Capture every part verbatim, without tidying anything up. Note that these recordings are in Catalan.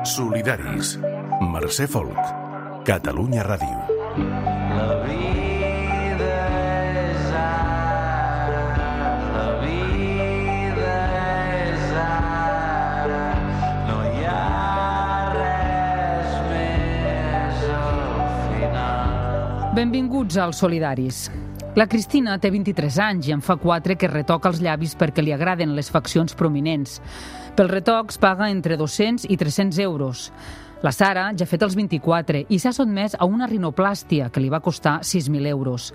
Solidaris. Mercè Folk. Catalunya Ràdio. La vida és ara, la vida és ara, no hi ha res més al final. Benvinguts als Solidaris. La Cristina té vint-i-tres anys i en fa quatre que retoca els llavis perquè li agraden les faccions prominents. Pels retocs paga entre dos-cents i tres-cents euros. La Sara ja ha fet els vint-i-quatre i s'ha sotmès a una rinoplàstia que li va costar sis mil euros.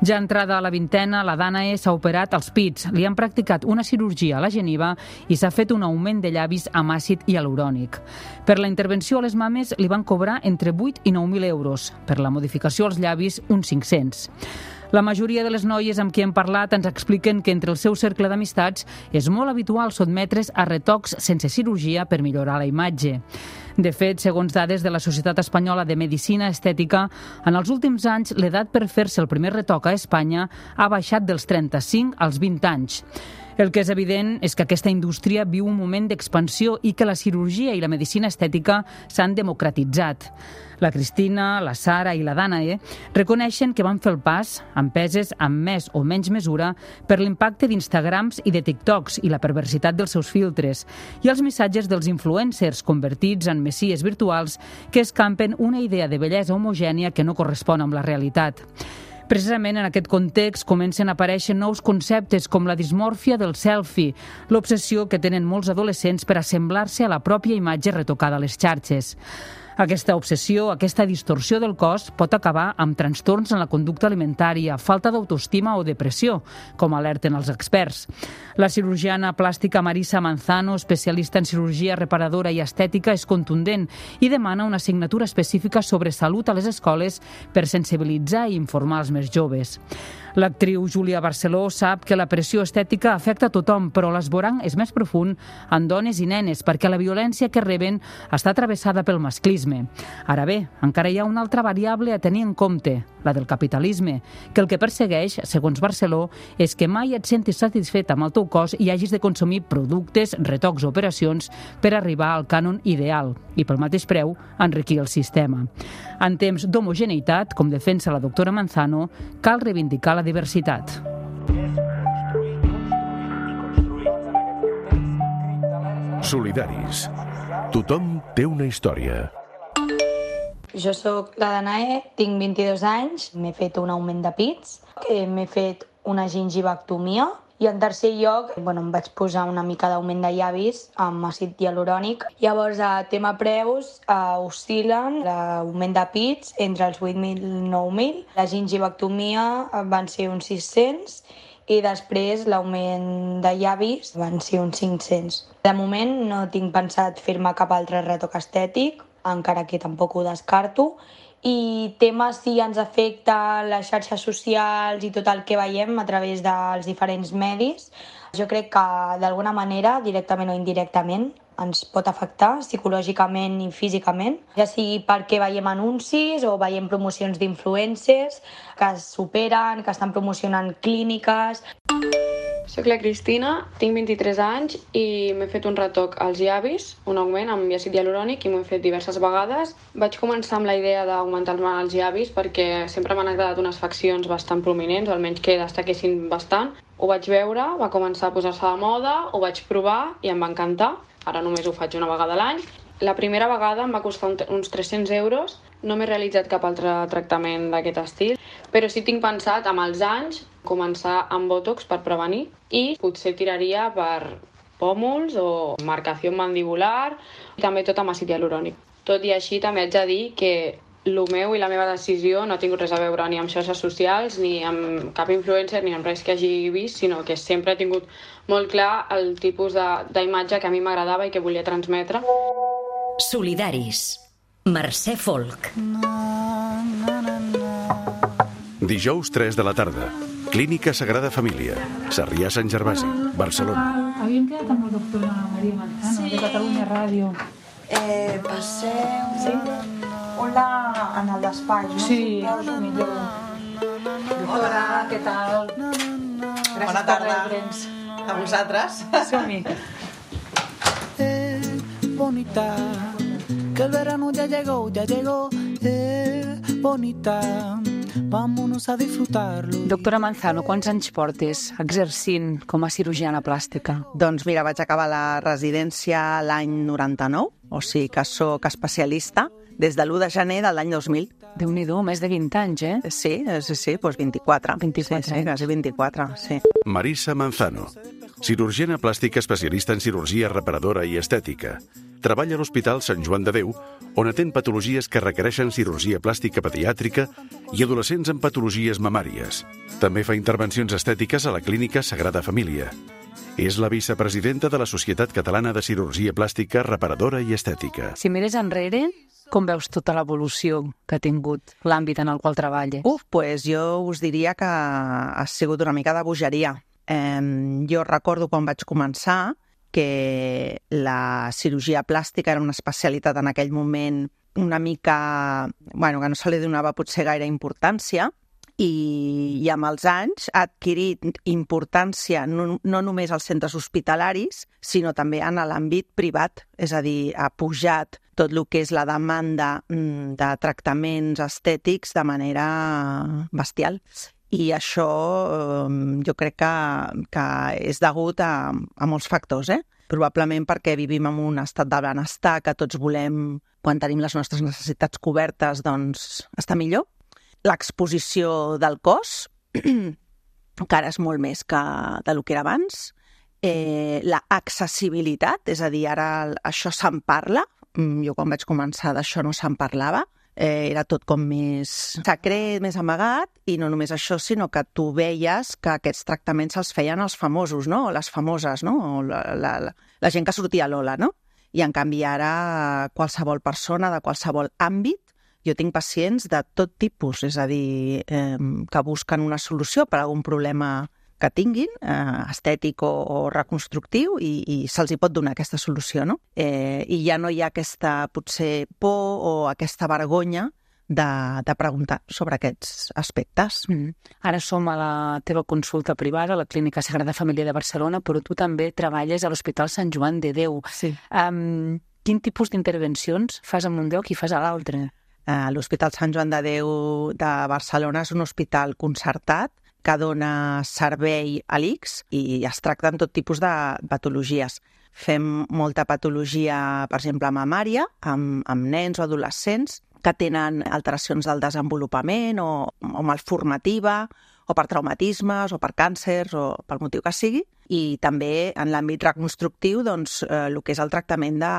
Ja entrada a la vintena, la Danae s'ha operat als pits, li han practicat una cirurgia a la geniva i s'ha fet un augment de llavis amb àcid hialurònic. Per la intervenció a les mames li van cobrar entre vuit i nou mil euros, per la modificació als llavis uns cinc-cents. La majoria de les noies amb qui hem parlat ens expliquen que entre el seu cercle d'amistats és molt habitual sotmetre's a retocs sense cirurgia per millorar la imatge. De fet, segons dades de la Societat Espanyola de Medicina Estètica, en els últims anys l'edat per fer-se el primer retoc a Espanya ha baixat dels trenta-cinc als vint anys. El que és evident és que aquesta indústria viu un moment d'expansió i que la cirurgia i la medicina estètica s'han democratitzat. La Cristina, la Sara i la Danae reconeixen que van fer el pas, empeses amb més o menys mesura, per l'impacte d'Instagrams i de TikToks i la perversitat dels seus filtres, i els missatges dels influencers convertits en messies virtuals que escampen una idea de bellesa homogènia que no correspon amb la realitat. Precisament en aquest context comencen a aparèixer nous conceptes com la dismòrfia del selfie, l'obsessió que tenen molts adolescents per assemblar-se a la pròpia imatge retocada a les xarxes. Aquesta obsessió, aquesta distorsió del cos pot acabar amb trastorns en la conducta alimentària, falta d'autoestima o depressió, com alerten els experts. La cirurgiana plàstica Marisa Manzano, especialista en cirurgia reparadora i estètica, és contundent i demana una assignatura específica sobre salut a les escoles per sensibilitzar i informar els més joves. L'actriu Júlia Barceló sap que la pressió estètica afecta a tothom, però l'esborrany és més profund en dones i nenes perquè la violència que reben està travessada pel masclisme. Ara bé, encara hi ha una altra variable a tenir en compte, la del capitalisme, que el que persegueix, segons Barceló, és que mai et sentis satisfet amb el teu cos i hagis de consumir productes, retocs o operacions per arribar al cànon ideal i pel mateix preu enriquir el sistema. En temps d'homogeneïtat, com defensa la doctora Manzano, cal reivindicar la diversitat. Solidaris. Tothom té una història. Jo sóc la Danae, tinc vint-i-dos anys, m'he fet un augment de pits, m'he fet una gingivectomia i en tercer lloc bueno, em vaig posar una mica d'augment de llavis amb àcid hialurònic. Llavors, a tema preus, uh, oscil·len l'augment de pits entre els vuit mil i nou mil. La gingivectomia van ser uns sis-cents i després l'augment de llavis van ser uns cinc-cents. De moment no tinc pensat fer-me cap altre retoc estètic, encara que tampoc ho descarto. I temes si ens afecta les xarxes socials i tot el que veiem a través dels diferents medis, jo crec que d'alguna manera, directament o indirectament, ens pot afectar psicològicament i físicament, ja sigui perquè veiem anuncis o veiem promocions d'influencers que s'operen, que estan promocionant clíniques. Soc la Cristina, tinc vint-i-tres anys i m'he fet un retoc als llavis, un augment amb àcid hialurònic i m'ho he fet diverses vegades. Vaig començar amb la idea d'augmentar-me els llavis perquè sempre m'han agradat unes faccions bastant prominents, o almenys que destaquessin bastant. Ho vaig veure, va començar a posar-se de moda, ho vaig provar i em va encantar. Ara només ho faig una vegada a l'any. La primera vegada em va costar uns tres-cents euros. No m'he realitzat cap altre tractament d'aquest estil, però sí tinc pensat amb els anys començar amb botox per prevenir i potser tiraria per pòmuls o marcació mandibular i també tot amb àcid hialurònic. Tot i així també haig de dir que el meu i la meva decisió no ha tingut res a veure ni amb xarxes socials, ni amb cap influencer, ni amb res que hagi vist, sinó que sempre he tingut molt clar el tipus d'imatge que a mi m'agradava i que volia transmetre. Solidaris. Mercè Folk. Dijous tres de la tarda. Clínica Sagrada Família. Sarrià Sant Gervasi, Barcelona. Havíem quedat amb la doctora Maria Manzano, sí, de Catalunya Ràdio. Eh, passeu... Sí? Hola, en el despatx, no? Sí, millor. Hola, què tal? Gràcies Bona tarda. per rebre'ns. A vosaltres. Som-hi. Bonita, que el verano ya llegó, ya llegó, eh, bonita, vámonos a disfrutarlo. Doctora Manzano, quants anys portes exercint com a cirurgiana plàstica? Doncs mira, vaig acabar la residència l'any noranta-nou, o sigui que sóc especialista des de l'u de gener de l'any dos mil. Déu-n'hi-do, més de vint anys, eh? Sí, sí, sí, doncs vint-i-quatre. vint-i-quatre sí, sí, quasi vint-i-quatre, sí. Marisa Manzano, cirurgiana plàstica especialista en cirurgia reparadora i estètica. Treballa a l'Hospital Sant Joan de Déu, on atén patologies que requereixen cirurgia plàstica pediàtrica i adolescents amb patologies mamàries. També fa intervencions estètiques a la Clínica Sagrada Família. És la vicepresidenta de la Societat Catalana de Cirurgia Plàstica Reparadora i Estètica. Si mires enrere, com veus tota l'evolució que ha tingut l'àmbit en el qual treballa? Uf, doncs jo us diria que ha sigut una mica de bogeria. Eh, jo recordo quan vaig començar que la cirurgia plàstica era una especialitat en aquell moment una mica, bueno, que no se li donava potser gaire importància, i, i amb els anys ha adquirit importància no, no només als centres hospitalaris, sinó també en l'àmbit privat, és a dir, ha pujat tot el que és la demanda de tractaments estètics de manera bestial. I això eh, jo crec que, que és degut a, a molts factors, eh? Probablement perquè vivim en un estat de benestar que tots volem, quan tenim les nostres necessitats cobertes, doncs estar millor. L'exposició del cos, que ara és molt més que del que era abans. Eh, la accessibilitat, és a dir, ara això se'n parla. Jo quan vaig començar d'això no se'n parlava. Eh, era tot com més secret, més amagat, i no només això, sinó que tu veies que aquests tractaments els feien els famosos, no? O les famoses, no? O la, la, la gent que sortia a l'Ola, no? I en canvi ara qualsevol persona de qualsevol àmbit, jo tinc pacients de tot tipus, és a dir, eh, que busquen una solució per a algun problema que tinguin, eh, estètic o, o reconstructiu, i, i se'ls hi pot donar aquesta solució, no? Eh, I ja no hi ha aquesta, potser, por o aquesta vergonya de, de preguntar sobre aquests aspectes. Mm. Ara som a la teva consulta privada, a la Clínica Sagrada Família de Barcelona, però tu també treballes a l'Hospital Sant Joan de Déu. Sí. Um, quin tipus d'intervencions fas en un lloc i fas a l'altre? Uh, L'Hospital Sant Joan de Déu de Barcelona és un hospital concertat que dona servei a l'I C S i es tracten tot tipus de patologies. Fem molta patologia, per exemple, mamària, amb, amb nens o adolescents que tenen alteracions del desenvolupament o, o malformativa, o per traumatismes, o per càncers, o pel motiu que sigui. I també en l'àmbit reconstructiu, doncs, eh, el que és el tractament de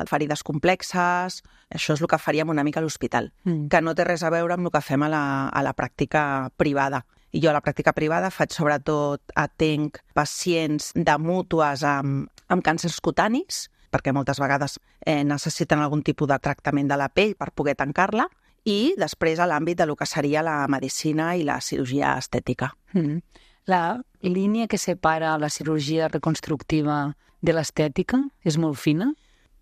ferides complexes, això és el que faríem una mica a l'hospital, mm. que no té res a veure amb el que fem a la, a la pràctica privada. I jo a la pràctica privada faig sobretot, atenc pacients de mútues amb, amb càncers cutanis, perquè moltes vegades eh, necessiten algun tipus de tractament de la pell per poder tancar-la, i després a l'àmbit de lo que seria la medicina i la cirurgia estètica. Mm. La línia que separa la cirurgia reconstructiva de l'estètica és molt fina?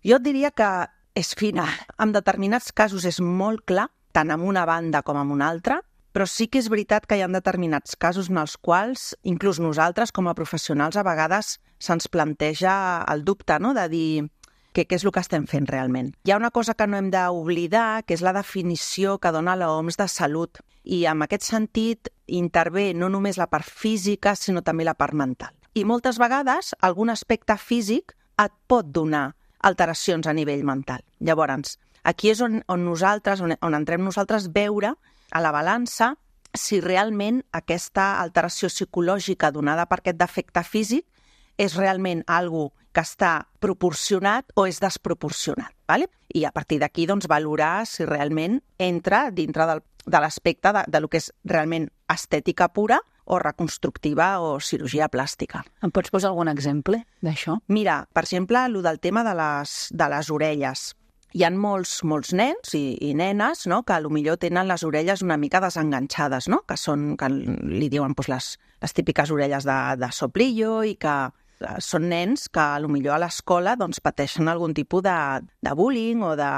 Jo et diria que és fina. En determinats casos és molt clar, tant en una banda com en una altra, però sí que és veritat que hi ha determinats casos en els quals, inclús nosaltres com a professionals, a vegades se'ns planteja el dubte, no?, de dir que què és el que estem fent realment. Hi ha una cosa que no hem d'oblidar, que és la definició que dona l'O M S de salut. I en aquest sentit intervé no només la part física, sinó també la part mental. I moltes vegades algun aspecte físic et pot donar alteracions a nivell mental. Llavors, aquí és on, on nosaltres, on, on entrem nosaltres veure a la balança si realment aquesta alteració psicològica donada per aquest defecte físic és realment algo que està proporcionat o és desproporcionat. ¿Vale? I a partir d'aquí doncs, valorar si realment entra dintre del, de l'aspecte de, de lo que és realment estètica pura o reconstructiva o cirurgia plàstica. Em pots posar algun exemple d'això? Mira, per exemple, el del tema de les, de les orelles. Hi ha molts, molts nens i, i nenes, no?, que potser tenen les orelles una mica desenganxades, no?, que són, que li diuen doncs, les, les típiques orelles de, de soplillo, i que són nens que potser a l'escola doncs, pateixen algun tipus de, de bullying o de,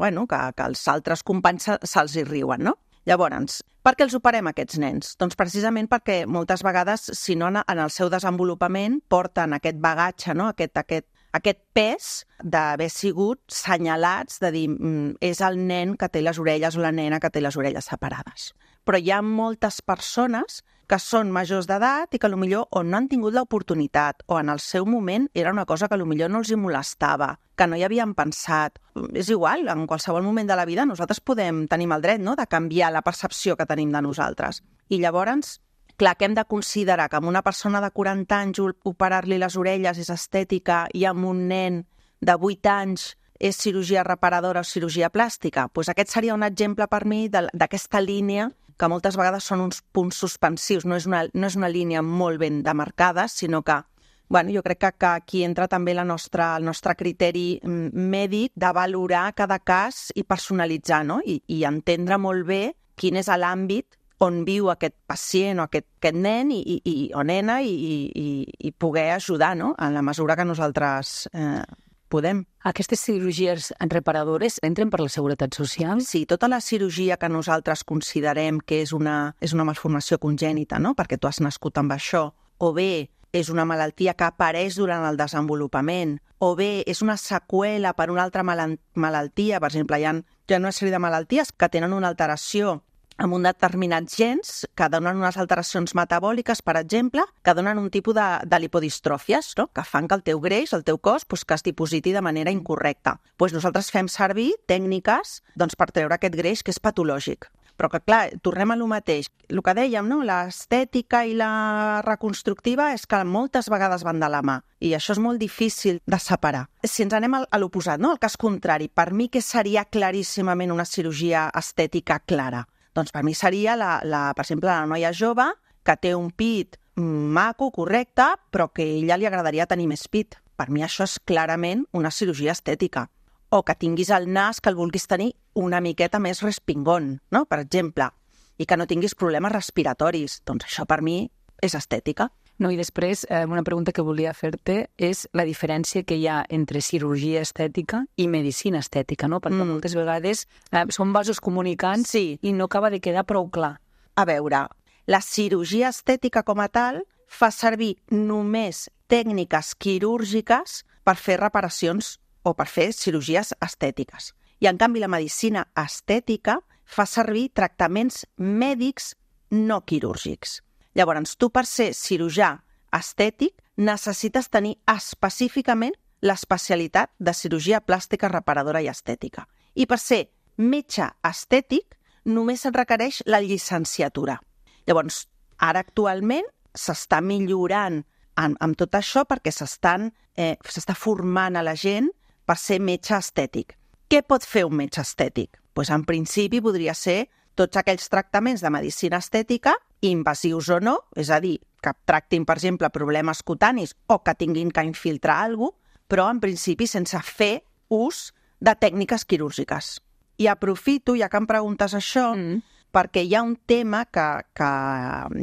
bueno, que, que els altres companys se, se'ls hi riuen, no? Llavors, per què els operem aquests nens? Doncs precisament perquè moltes vegades, si no en el seu desenvolupament, porten aquest bagatge, no?, aquest, aquest, aquest pes d'haver sigut senyalats, de dir, mm, és el nen que té les orelles o la nena que té les orelles separades. Però hi ha moltes persones que són majors d'edat i que potser o no han tingut l'oportunitat o en el seu moment era una cosa que potser no els hi molestava, que no hi havien pensat. És igual, en qualsevol moment de la vida nosaltres podem, tenim el dret, no?, de canviar la percepció que tenim de nosaltres. I llavors, clar, que hem de considerar que amb una persona de quaranta anys operar-li les orelles és estètica i amb un nen de vuit anys és cirurgia reparadora o cirurgia plàstica? Pues aquest seria un exemple per mi d'aquesta línia que moltes vegades són uns punts suspensius. No és una, no és una línia molt ben demarcada, sinó que bueno, jo crec que, que aquí entra també la nostra, el nostre criteri mèdic de valorar cada cas i personalitzar, no? I, i entendre molt bé quin és l'àmbit on viu aquest pacient o aquest, aquest nen i, i, i, o nena i, i, i poder ajudar, no?, en la mesura que nosaltres eh, podem. Aquestes cirurgies reparadores entren per la Seguretat Social? Sí, tota la cirurgia que nosaltres considerem que és una, és una malformació congènita, no?, perquè tu has nascut amb això, o bé és una malaltia que apareix durant el desenvolupament, o bé és una seqüela per una altra malaltia. Per exemple, hi ha, hi ha una sèrie de malalties que tenen una alteració amb un determinats gens que donen unes alteracions metabòliques, per exemple, que donen un tipus de, de lipodistròfies, no?, que fan que el teu greix, el teu cos, pues, que es dipositi de manera incorrecta. Pues nosaltres fem servir tècniques doncs, per treure aquest greix que és patològic. Però que, clar, tornem a lo mateix. El que dèiem, no?, l'estètica i la reconstructiva és que moltes vegades van de la mà i això és molt difícil de separar. Si ens anem a l'oposat, no?, al cas contrari, per mi què seria claríssimament una cirurgia estètica clara? Doncs per mi seria, la, la, per exemple, la noia jove que té un pit maco, correcte, però que a ella li agradaria tenir més pit. Per mi això és clarament una cirurgia estètica. O que tinguis el nas que el vulguis tenir una miqueta més respingón, no?, per exemple, i que no tinguis problemes respiratoris. Doncs això per mi és estètica. No, i després, eh, una pregunta que volia fer-te és la diferència que hi ha entre cirurgia estètica i medicina estètica, no? Perquè mm. moltes vegades eh, són vasos comunicants sí. i no acaba de quedar prou clar. A veure, la cirurgia estètica com a tal fa servir només tècniques quirúrgiques per fer reparacions o per fer cirurgies estètiques. I en canvi la medicina estètica fa servir tractaments mèdics no quirúrgics. Llavors, tu per ser cirurgià estètic necessites tenir específicament l'especialitat de cirurgia plàstica reparadora i estètica. I per ser metge estètic només et requereix la llicenciatura. Llavors, ara actualment s'està millorant amb, amb tot això perquè s'estan eh, s'està formant a la gent per ser metge estètic. Què pot fer un metge estètic? Pues, en principi podria ser tots aquells tractaments de medicina estètica, invasius o no, és a dir, que tractin, per exemple, problemes cutanis o que tinguin que infiltrar alguna cosa, però en principi sense fer ús de tècniques quirúrgiques. I aprofito, ja que em preguntes això, mm. perquè hi ha un tema que, que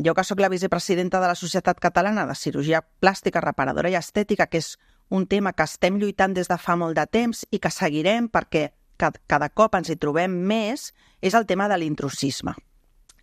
jo que sóc la vicepresidenta de la Societat Catalana de Cirurgia Plàstica, Reparadora i Estètica, que és un tema que estem lluitant des de fa molt de temps i que seguirem perquè cada, cada cop ens hi trobem més, és el tema de l'intrusisme.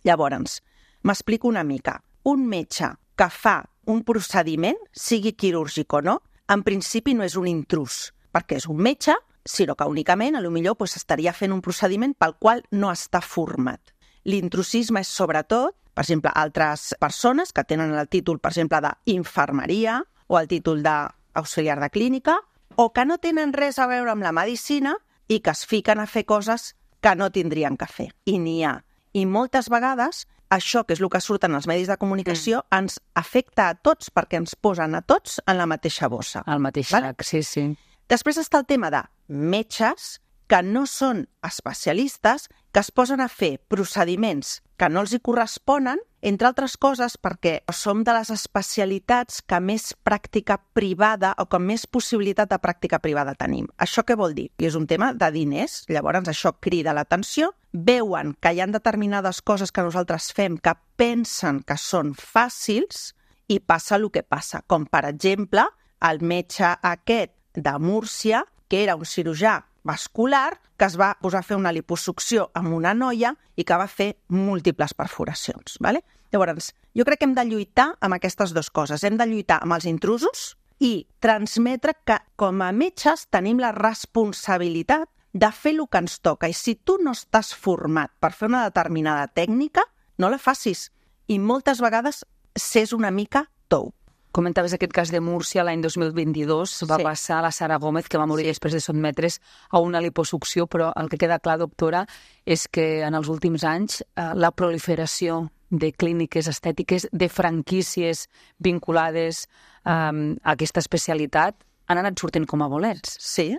Llavors, m'explico una mica. Un metge que fa un procediment, sigui quirúrgic o no, en principi no és un intrús, perquè és un metge, sinó que únicament, a lo millor, pues, estaria fent un procediment pel qual no està format. L'intrusisme és sobretot, per exemple, altres persones que tenen el títol, per exemple, d'infermeria o el títol d'auxiliar de clínica, o que no tenen res a veure amb la medicina i que es fiquen a fer coses que no tindrien que fer. I n'hi ha. I moltes vegades això, que és el que surt en els medis de comunicació, mm. ens afecta a tots perquè ens posen a tots en la mateixa bossa. Al mateix vale? sac, sí, sí. Després està el tema de metges que no són especialistes, que es posen a fer procediments que no els hi corresponen, entre altres coses perquè som de les especialitats que més pràctica privada o que més possibilitat de pràctica privada tenim. Això què vol dir? I és un tema de diners, llavors això crida l'atenció, veuen que hi ha determinades coses que nosaltres fem que pensen que són fàcils i passa el que passa, com per exemple el metge aquest de Múrcia, que era un cirurgià vascular, que es va posar a fer una liposucció amb una noia i que va fer múltiples perforacions. Vale? Llavors, jo crec que hem de lluitar amb aquestes dues coses. Hem de lluitar amb els intrusos i transmetre que com a metges tenim la responsabilitat de fer el que ens toca. I si tu no estàs format per fer una determinada tècnica, no la facis. I moltes vegades s'és una mica tou. Comentaves aquest cas de Múrcia l'any dos mil vint-i-dos, va Sí. passar a la Sara Gómez, que va morir Sí. després de sotmetre's a una liposucció, però el que queda clar, doctora, és que en els últims anys eh, la proliferació de clíniques estètiques, de franquícies vinculades eh, a aquesta especialitat, han anat sortint com a bolets. Sí,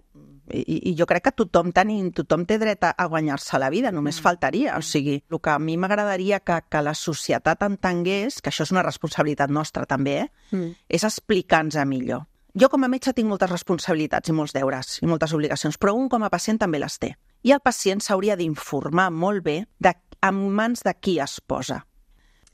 i, i jo crec que tothom, tenim, tothom té dret a, a guanyar-se la vida, només mm. faltaria. O sigui, el que a mi m'agradaria que, que la societat entengués, que això és una responsabilitat nostra també, eh? mm. és explicar-nos millor. Jo com a metge tinc moltes responsabilitats i molts deures i moltes obligacions, però un com a pacient també les té. I el pacient s'hauria d'informar molt bé de, en mans de qui es posa.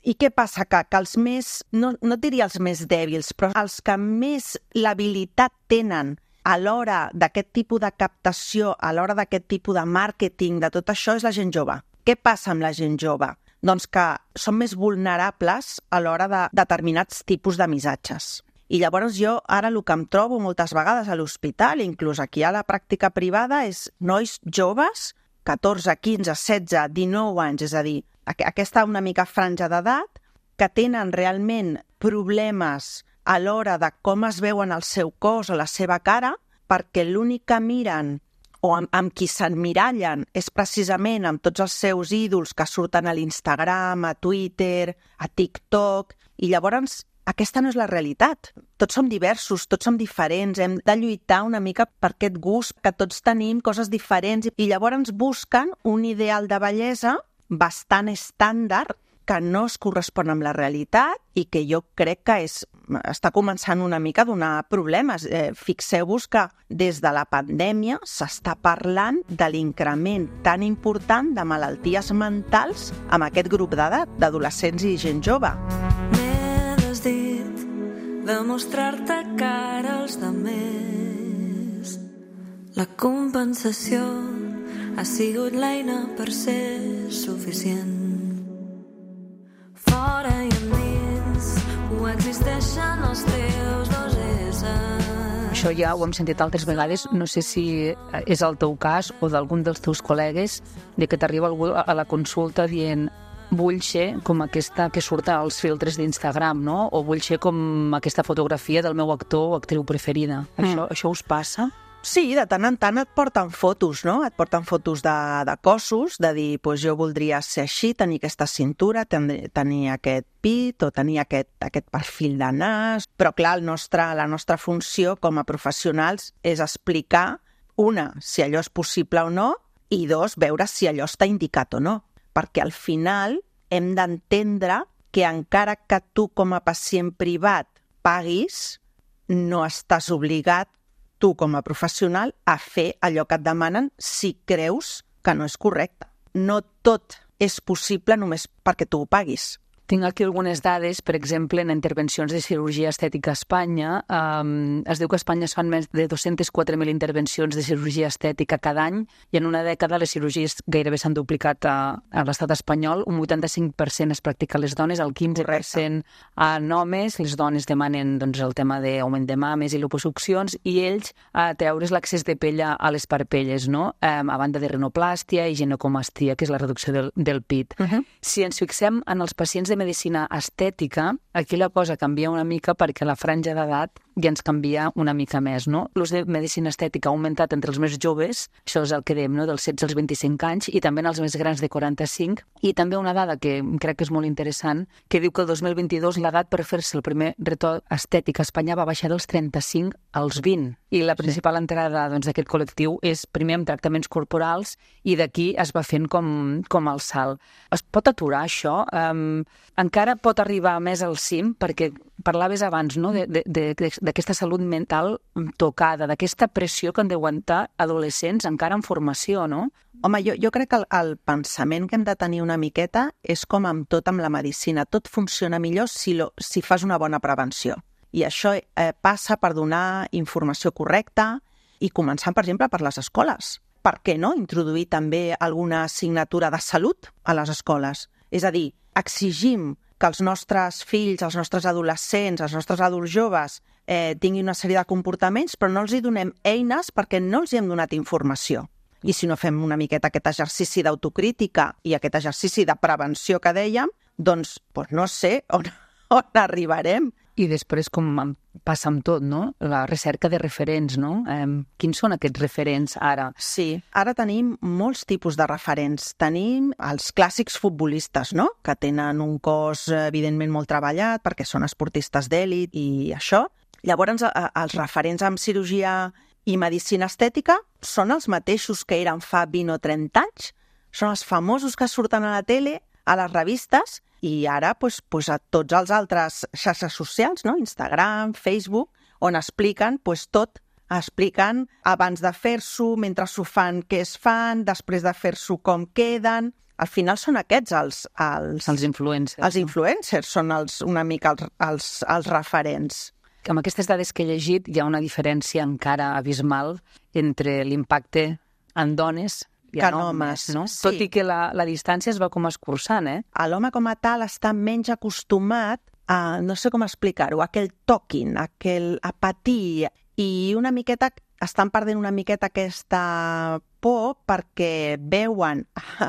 I què passa? Que, que els més, no, no diria els més dèbils, però els que més l'habilitat tenen a l'hora d'aquest tipus de captació, a l'hora d'aquest tipus de màrqueting, de tot això, és la gent jove. Què passa amb la gent jove? Doncs que són més vulnerables a l'hora de determinats tipus de missatges. I llavors jo ara el que em trobo moltes vegades a l'hospital, inclús aquí a la pràctica privada, és nois joves, catorze, quinze, setze, dinou anys, és a dir, aquesta una mica franja d'edat, que tenen realment problemes a l'hora de com es veuen el seu cos o la seva cara, perquè l'únic que miren o amb, amb qui s'emmirallen és precisament amb tots els seus ídols que surten a l'Instagram, a Twitter, a TikTok, i llavors aquesta no és la realitat. Tots som diversos, tots som diferents, hem de lluitar una mica per aquest gust, que tots tenim coses diferents, i llavors busquen un ideal de bellesa bastant estàndard que no es correspon amb la realitat i que jo crec que és, està començant una mica a donar problemes. Eh, fixeu-vos que des de la pandèmia s'està parlant de l'increment tan important de malalties mentals amb aquest grup d'edat, d'adolescents i gent jove. M'he desdit de mostrar-te cara als demés. La compensació ha sigut l'eina per ser suficient. Fora i endins ho existeixen els teus dos éssers. Això ja ho hem sentit altres vegades, no sé si és el teu cas o d'algun dels teus col·legues, de que t'arriba algú a la consulta dient vull ser com aquesta que surt als filtres d'Instagram, no? O vull ser com aquesta fotografia del meu actor o actriu preferida. Mm. Això, això us passa? Sí, de tant en tant et porten fotos, no? Et porten fotos de, de cossos, de dir, pues jo voldria ser així, tenir aquesta cintura, tenir, tenir aquest pit o tenir aquest, aquest perfil de nas. Però clar, el nostre, la nostra funció com a professionals és explicar, una, si allò és possible o no, i dos, veure si allò està indicat o no. Perquè al final hem d'entendre que encara que tu com a pacient privat paguis, no estàs obligat tu com a professional a fer allò que et demanen si creus que no és correcte. No tot és possible només perquè tu ho paguis. Tinc aquí algunes dades, per exemple, en intervencions de cirurgia estètica a Espanya. Um, es diu que a Espanya es fan més de dos-centes quatre mil intervencions de cirurgia estètica cada any i en una dècada les cirurgies gairebé s'han duplicat a, a l'estat espanyol. Un vuitanta-cinc per cent es practica a les dones, el quinze per cent en homes. Les dones demanen doncs, el tema d'augment de mames i liposuccions i ells a treure's l'accés de pell a les parpelles, no? Um, a banda de rinoplàstia i ginecomastia, que és la reducció del, del pit. Uh-huh. Si ens fixem en els pacients de medicina estètica, aquí la cosa canvia una mica perquè la franja d'edat ja ens canvia una mica més, no? L'ús de medicina estètica ha augmentat entre els més joves, això és el que dèiem, no? Dels setze als vint-i-cinc anys, i també en els més grans de quaranta-cinc, i també una dada que crec que és molt interessant, que diu que el dos mil vint-i-dos l'edat per fer-se el primer retoc estètic a Espanya va baixar dels trenta-cinc als vint, i la principal entrada doncs, d'aquest col·lectiu és primer amb tractaments corporals i d'aquí es va fent com, com el salt. Es pot aturar això? Um, encara pot arribar més al cim, perquè parlaves abans, no?, de, de, de, d'aquesta salut mental tocada, d'aquesta pressió que han d'aguantar adolescents encara en formació, no? Home, jo, jo crec que el, el pensament que hem de tenir una miqueta és com amb tot amb la medicina. Tot funciona millor si, lo, si fas una bona prevenció. I això eh, passa per donar informació correcta i començant, per exemple, per les escoles. Per què no introduir també alguna assignatura de salut a les escoles? És a dir, exigim que els nostres fills, els nostres adolescents, els nostres adults joves eh, tinguin una sèrie de comportaments, però no els hi donem eines perquè no els hi hem donat informació. I si no fem una miqueta aquest exercici d'autocrítica i aquest exercici de prevenció que dèiem, doncs, doncs no sé on, on arribarem. I després, com passa amb tot, no? La recerca de referents, no? Eh, quins són aquests referents ara? Sí, ara tenim molts tipus de referents. Tenim els clàssics futbolistes, no? Que tenen un cos, evidentment, molt treballat perquè són esportistes d'èlit i això. Llavors, els referents en cirurgia i medicina estètica són els mateixos que eren fa vint o trenta anys. Són els famosos que surten a la tele, a les revistes, i ara doncs, doncs, a tots els altres xarxes socials, no? Instagram, Facebook, on expliquen doncs, tot. Expliquen abans de fer-s'ho, mentre s'ho fan, què es fan, després de fer-s'ho, com queden. Al final són aquests els... Els, els influencers. Els influencers són els, una mica els, els, els referents. Amb aquestes dades que he llegit hi ha una diferència encara abismal entre l'impacte en dones i en homes, no? Sí. Tot i que la, la distància es va com escurçant, eh? L'home com a tal està menys acostumat a, no sé com explicar-ho, aquell talking, aquell a patir, i una miqueta, estan perdent una miqueta aquesta por perquè veuen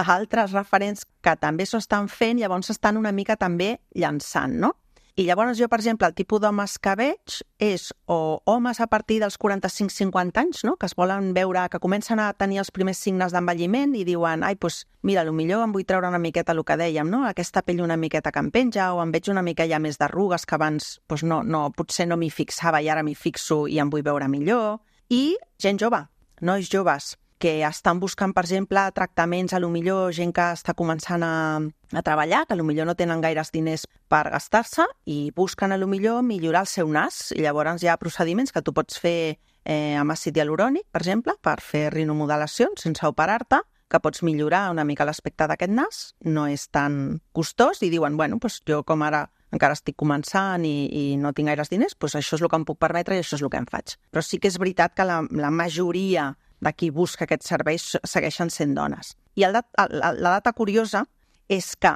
altres referents que també s'ho estan fent, llavors estan una mica també llançant, no? I llavors jo, per exemple, el tipus d'homes que veig és o homes a partir dels quaranta-cinc cinquanta anys, no? Que es volen veure, que comencen a tenir els primers signes d'envelliment i diuen, ai, doncs, mira, potser em vull treure una miqueta el que dèiem, no? Aquesta pell una miqueta que em penja, o em veig una mica ja més d'arrugues que abans doncs no, no, potser no m'hi fixava i ara m'hi fixo i em vull veure millor. I gent jove, nois joves, que estan buscant, per exemple, tractaments, a lo millor gent que està començant a, a treballar, que a lo millor no tenen gaires diners per gastar-se i busquen a lo millor millorar el seu nas. I llavors hi ha procediments que tu pots fer eh, amb àcid hialurònic, per exemple, per fer rinomodelacions sense operar-te, que pots millorar una mica l'aspecte d'aquest nas, no és tan costós, i diuen, bueno, doncs jo com ara encara estic començant i, i no tinc gaires diners, doncs això és el que em puc permetre i això és el que em faig. Però sí que és veritat que la, la majoria de qui busca aquests serveis segueixen sent dones. I el dat, la, la data curiosa és que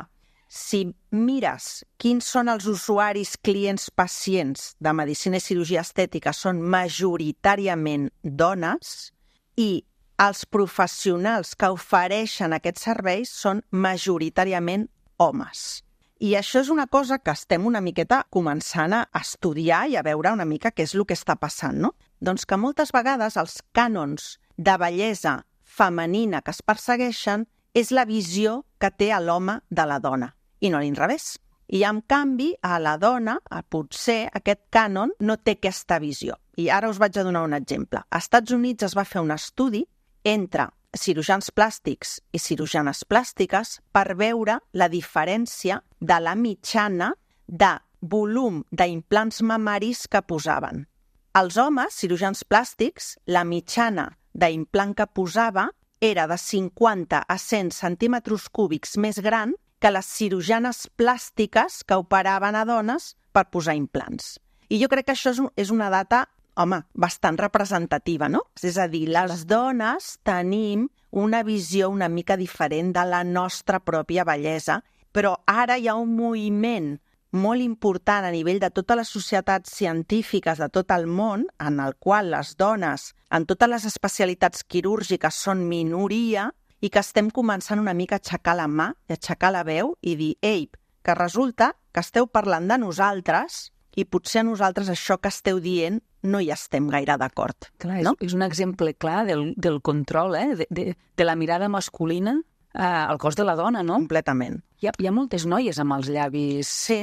si mires quins són els usuaris, clients, pacients de medicina i cirurgia estètica són majoritàriament dones i els professionals que ofereixen aquests serveis són majoritàriament homes. I això és una cosa que estem una miqueta començant a estudiar i a veure una mica què és el que està passant, no? Doncs que moltes vegades els cànons de bellesa femenina que es persegueixen és la visió que té l'home de la dona, i no a l'inrevés. I, en canvi, a la dona, a potser, aquest cànon no té aquesta visió. I ara us vaig a donar un exemple. Als Estats Units es va fer un estudi entre cirurgians plàstics i cirurgianes plàstiques per veure la diferència de la mitjana de volum d'implants mamaris que posaven. Els homes, cirurgians plàstics, la mitjana d'implant que posava era de cinquanta a cent centímetres cúbics més gran que les cirurgianes plàstiques que operaven a dones per posar implants. I jo crec que això és una data, home, bastant representativa, no? És a dir, les dones tenim una visió una mica diferent de la nostra pròpia bellesa, però ara hi ha un moviment molt important a nivell de totes les societats científiques de tot el món, en el qual les dones, en totes les especialitats quirúrgiques, són minoria i que estem començant una mica a aixecar la mà i a aixecar la veu i dir, ei, que resulta que esteu parlant de nosaltres i potser a nosaltres això que esteu dient no hi estem gaire d'acord. Clar, no? és, és un exemple clar del, del control, eh? de, de, de la mirada masculina eh, al cos de la dona, no? Completament. Hi ha, hi ha moltes noies amb els llavis... Sí.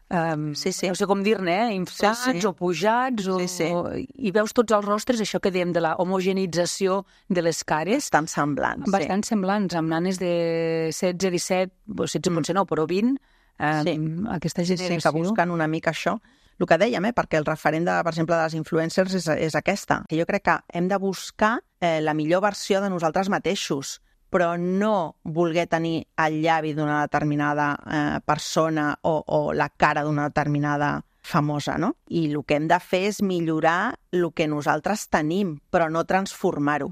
Um, sí, sí. No sé com dir-ne, eh? inflats sí, sí. o pujats, o, sí, sí. o, i veus tots els rostres, això que dèiem de la homogenització de les cares. Bastant semblants, Bastant sí. semblants, amb nanes de setze, disset, setze mm. potser no, però vint, um, sí. aquesta generació. Sí, que busquen una mica això. El que dèiem, eh? perquè el referent, de, per exemple, de les influencers és, és aquesta. Jo crec que hem de buscar eh, la millor versió de nosaltres mateixos, però no voler tenir el llavi d'una determinada eh, persona o, o la cara d'una determinada famosa, no? I el que hem de fer és millorar el que nosaltres tenim, però no transformar-ho.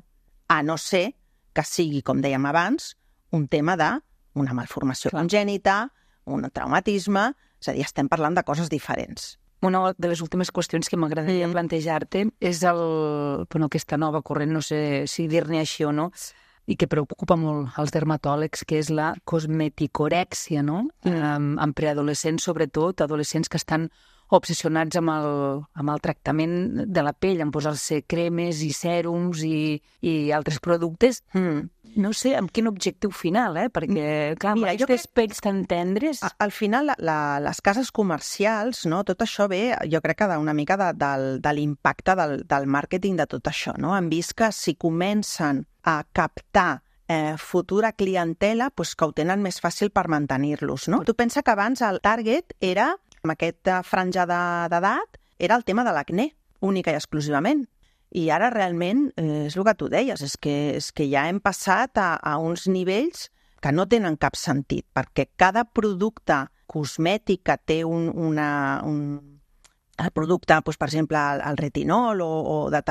A no ser que sigui, com dèiem abans, un tema d'una malformació congènita, un traumatisme, és a dir, estem parlant de coses diferents. Una de les últimes qüestions que m'agradaria plantejar-te és el, bueno, aquesta nova corrent, no sé si dir-ne així o no, i que preocupa molt als dermatòlegs, que és la cosmeticorèxia, no? Um, en preadolescents, sobretot, adolescents que estan obsessionats amb el, amb el tractament de la pell, en posar-se cremes i sèrums i, i altres productes. Mm. No sé amb quin objectiu final, eh? Perquè, clar, Mira, amb aquestes crec... pells tan tendres... Al final, la, la, les cases comercials, no? Tot això ve, jo crec que d'una mica de, del, de l'impacte del, del màrqueting de tot això, no? Han vist que si comencen a captar eh, futura clientela, pues que ho tenen més fàcil per mantenir-los, no? Tu pensa que abans el target era, amb aquesta franja d'edat, era el tema de l'acné, única i exclusivament. I ara realment, eh, és el que tu deies, és que, és que ja hem passat a, a uns nivells que no tenen cap sentit, perquè cada producte cosmètic que té un, una, un, el producte, doncs, per exemple, el, el retinol o, o de,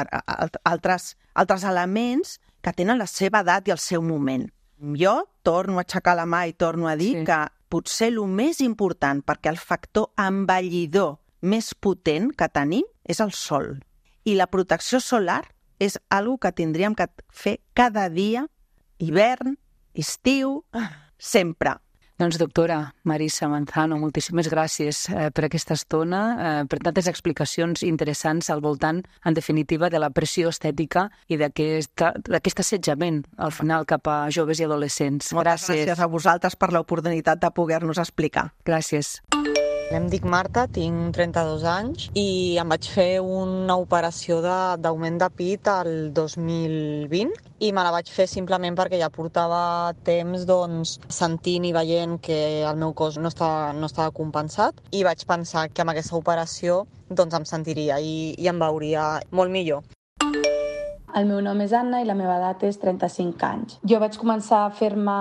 altres, altres elements que tenen la seva edat i el seu moment. Jo torno a aixecar la mà i torno a dir sí. que potser el més important, perquè el factor envellidor més potent que tenim és el sol. I la protecció solar és algo que tindríem que fer cada dia, hivern, estiu, sempre. Doncs, doctora Marisa Manzano, moltíssimes gràcies eh, per aquesta estona, eh, per tantes explicacions interessants al voltant, en definitiva, de la pressió estètica i d'aquest assetjament, al final, cap a joves i adolescents. Moltes gràcies, gràcies a vosaltres per l'oportunitat de poder-nos explicar. Gràcies. Em dic Marta, tinc trenta-dos anys i em vaig fer una operació d'augment de, de pit el dos mil vint i me la vaig fer simplement perquè ja portava temps doncs, sentint i veient que el meu cos no estava, no estava compensat i vaig pensar que amb aquesta operació doncs, em sentiria i, i em veuria molt millor. El meu nom és Anna i la meva edat és trenta-cinc anys. Jo vaig començar a fer-me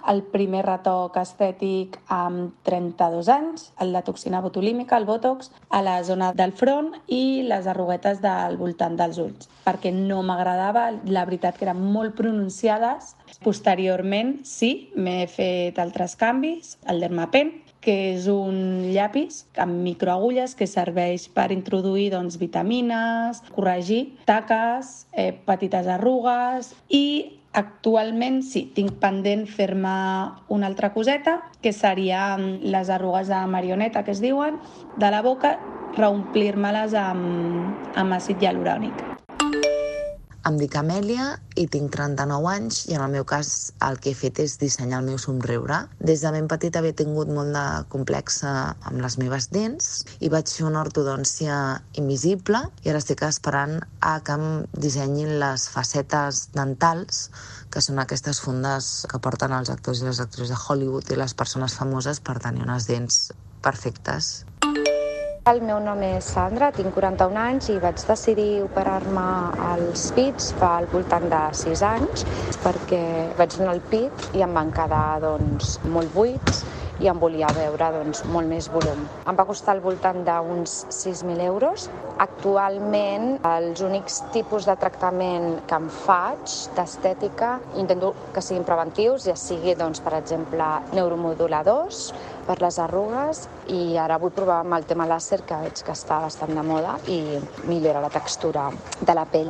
el primer retoc estètic amb trenta-dos anys, el de toxina botulímica, el Botox, a la zona del front i les arruguetes del voltant dels ulls, perquè no m'agradava, la veritat que eren molt pronunciades. Posteriorment, sí, m'he fet altres canvis, el Dermapen, que és un llapis amb microagulles que serveix per introduir doncs, vitamines, corregir taques, eh, petites arrugues i actualment sí, tinc pendent fer-me una altra coseta, que serien les arrugues de marioneta, que es diuen, de la boca, reomplir-me-les amb, amb àcid hialurònic. Em dic Amèlia i tinc trenta-nou anys i en el meu cas el que he fet és dissenyar el meu somriure. Des de ben petita havia tingut molt de complex amb les meves dents i vaig fer una ortodòncia invisible i ara estic esperant a que em dissenyin les facetes dentals, que són aquestes fundes que porten els actors i les actrius de Hollywood i les persones famoses per tenir unes dents perfectes. El meu nom és Sandra, tinc quaranta-un anys i vaig decidir operar-me els pits fa al voltant de sis anys perquè vaig donar el pit i em van quedar doncs, molt buits i em volia veure doncs, molt més volum. Em va costar al voltant d'uns sis mil euros. Actualment, els únics tipus de tractament que em faig d'estètica intento que siguin preventius, ja sigui, doncs, per exemple, neuromoduladors per les arrugues i ara vull provar amb el tema làser, que veig que està bastant de moda i millora la textura de la pell.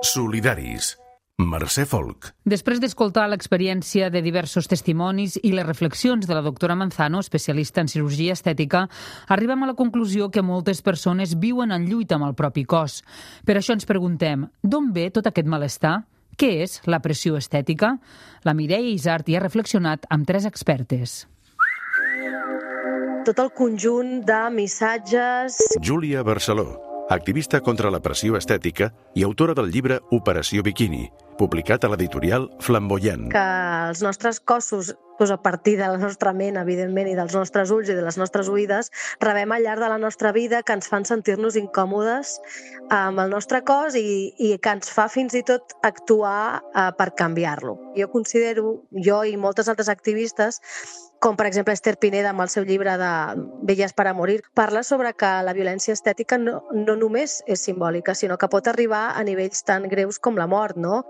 Solidaris. Mercè Folk. Després d'escoltar l'experiència de diversos testimonis i les reflexions de la doctora Manzano, especialista en cirurgia estètica, arribem a la conclusió que moltes persones viuen en lluita amb el propi cos. Per això ens preguntem, d'on ve tot aquest malestar? Què és la pressió estètica? La Mireia Isart hi ha reflexionat amb tres expertes. Tot el conjunt de missatges... Júlia Barceló, activista contra la pressió estètica i autora del llibre Operació Biquini, publicat a l'editorial Flamboyant. Que els nostres cossos, doncs a partir de la nostra ment, evidentment, i dels nostres ulls i de les nostres oïdes, rebem al llarg de la nostra vida que ens fan sentir-nos incòmodes amb el nostre cos i, i que ens fa fins i tot actuar uh, per canviar-lo. Jo considero, jo i moltes altres activistes, com per exemple Esther Pineda amb el seu llibre de Bellas para morir, parla sobre que la violència estètica no, no només és simbòlica, sinó que pot arribar a nivells tan greus com la mort, no?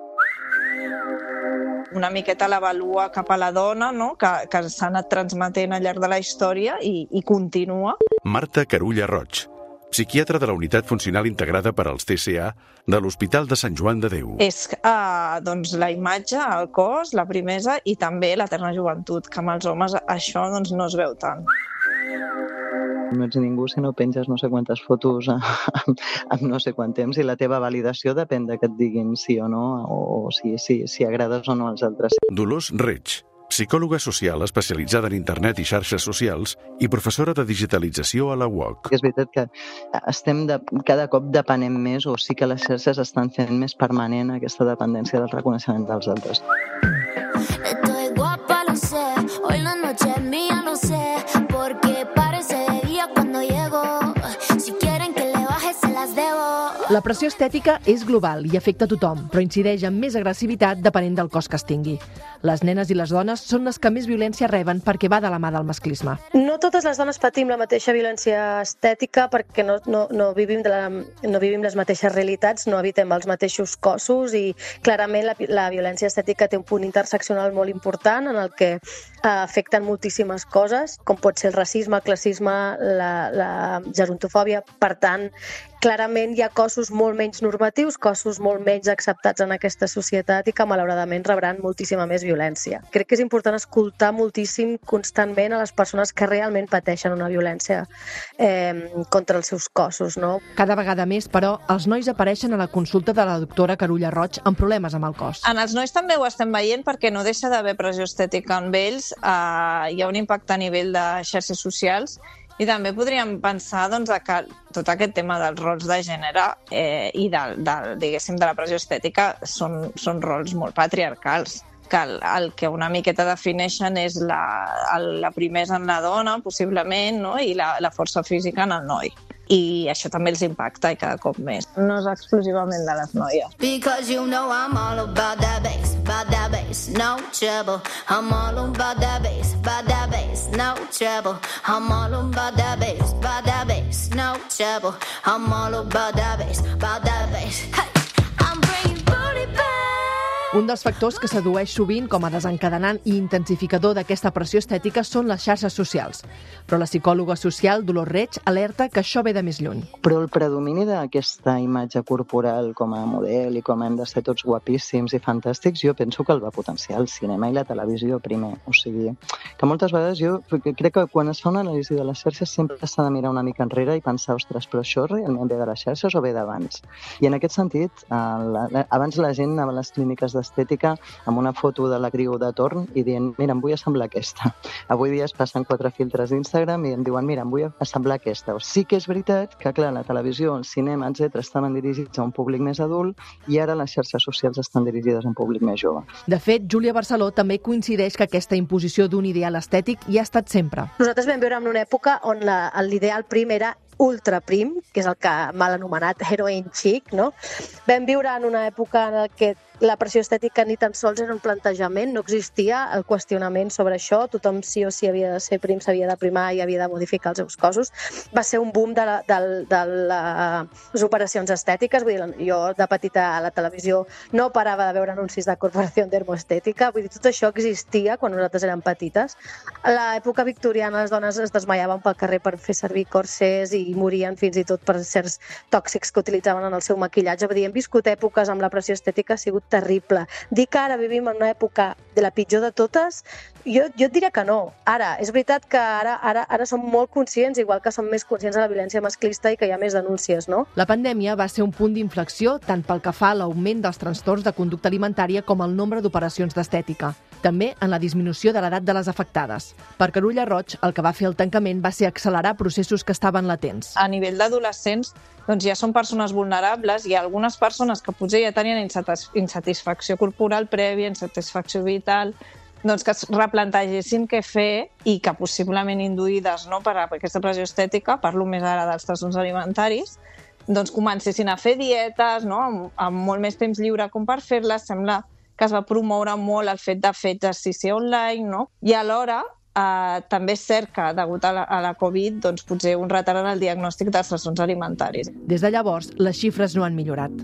una miqueta l'avalua cap a la dona, no? que, que s'ha anat transmetent al llarg de la història i, i continua. Marta Carulla Roig, psiquiatra de la Unitat Funcional Integrada per als T C A de l'Hospital de Sant Joan de Déu. És eh, doncs, la imatge, el cos, la primesa i també l'eterna joventut, que amb els homes això doncs, no es veu tant. No ets ningú si no penges no sé quantes fotos amb no sé quant temps i la teva validació depèn de que et diguin sí o no o si, si, si agrades o no als altres. Dolors Reig, psicòloga social especialitzada en internet i xarxes socials i professora de digitalització a la U O C. És veritat que estem de, cada cop depenem més o sí que les xarxes estan fent més permanent aquesta dependència del reconeixement dels altres. Estoy guapa, lo sé, hoy la noche es mía, lo sé, porque parece de día cuando llego, si quieren que le baje se las debo. La pressió estètica és global i afecta a tothom, però incideix amb més agressivitat depenent del cos que es tingui. Les nenes i les dones són les que més violència reben perquè va de la mà del masclisme. No totes les dones patim la mateixa violència estètica perquè no, no, no, vivim, de la, no vivim les mateixes realitats, no habitem els mateixos cossos i clarament la, la violència estètica té un punt interseccional molt important en el que eh, afecten moltíssimes coses, com pot ser el racisme, el classisme, la, la gerontofòbia. Per tant, clarament hi ha cossos molt menys normatius, cossos molt menys acceptats en aquesta societat i que malauradament rebran moltíssima més violència. Crec que és important escoltar moltíssim constantment a les persones que realment pateixen una violència eh, contra els seus cossos. No? Cada vegada més, però, els nois apareixen a la consulta de la doctora Carulla Roig amb problemes amb el cos. En els nois també ho estem veient perquè no deixa d'haver pressió estètica en ells, eh, hi ha un impacte a nivell de xarxes socials. I també podríem pensar doncs, que tot aquest tema dels rols de gènere eh, i de, de, diguéssim, de la pressió estètica són, són rols molt patriarcals, que el, el que una miqueta defineixen és la, el, la primesa en la dona, possiblement, no? I la, la força física en el noi. I això també els impacta i cada cop més. No és exclusivament de les noies. Because you know I'm all about that bass, about that bass, no trouble. I'm all about that bass, about that bass, no trouble. I'm all about that bass, about that bass, no trouble. I'm all about that bass, about that bass. Hey, I'm bringing booty back. Un dels factors que s'addueix sovint com a desencadenant i intensificador d'aquesta pressió estètica són les xarxes socials. Però la psicòloga social Dolors Reig alerta que això ve de més lluny. Però el predomini d'aquesta imatge corporal com a model i com hem de ser tots guapíssims i fantàstics, jo penso que el va potenciar el cinema i la televisió primer. O sigui, que moltes vegades jo crec que quan es fa una anàlisi de les xarxes sempre s'ha de mirar una mica enrere i pensar, ostres, però això realment ve de les xarxes o ve d'abans? I en aquest sentit, abans la gent anava a les clíniques d'estètica amb una foto de l'actriu de torn i dient, mira, em vull assemblar aquesta. Avui dia es passen quatre filtres d'Instagram i em diuen, mira, em vull assemblar aquesta. O sí que és veritat que, clar, la televisió, el cinema, etcètera, estaven dirigits a un públic més adult i ara les xarxes socials estan dirigides a un públic més jove. De fet, Júlia Barceló també coincideix que aquesta imposició d'un ideal estètic hi ha estat sempre. Nosaltres vam viure en una època on la, l'ideal prim era ultra prim, que és el que mal anomenat heroin chic, no? Vam viure en una època en què la pressió estètica ni tan sols era un plantejament, no existia el qüestionament sobre això, tothom sí o sí havia de ser prim, s'havia de primar i havia de modificar els seus cossos. Va ser un boom de, la, de, de les operacions estètiques, vull dir, jo de petita a la televisió no parava de veure anuncis de Corporació Dermoestètica, vull dir, tot això existia quan nosaltres érem petites. A l'època victoriana les dones es desmaiaven pel carrer per fer servir corsers i morien fins i tot per certs tòxics que utilitzaven en el seu maquillatge. Vull dir, hem viscut èpoques amb la pressió estètica, ha sigut terrible. Dir que ara vivim en una època de la pitjor de totes, jo, jo et diria que no. Ara, és veritat que ara, ara, ara som molt conscients, igual que som més conscients de la violència masclista i que hi ha més denúncies, no? La pandèmia va ser un punt d'inflexió tant pel que fa a l'augment dels trastorns de conducta alimentària com el nombre d'operacions d'estètica. També en la disminució de l'edat de les afectades. Per Carulla Roig, el que va fer el tancament va ser accelerar processos que estaven latents. A nivell d'adolescents, doncs ja són persones vulnerables i algunes persones que potser ja tenien insatisfacció corporal prèvia, insatisfacció vital, doncs que es replantegessin què fer i que possiblement induïdes no, per aquesta pressió estètica, parlo més ara dels trastorns alimentaris, doncs comencessin a fer dietes no, amb, amb molt més temps lliure com per fer-les. Sembla que es va promoure molt el fet de fer exercici online, no? I alhora eh, també és cert que, degut a la, a la Covid, doncs, potser un retard en el diagnòstic dels trastorns alimentaris. Des de llavors, les xifres no han millorat.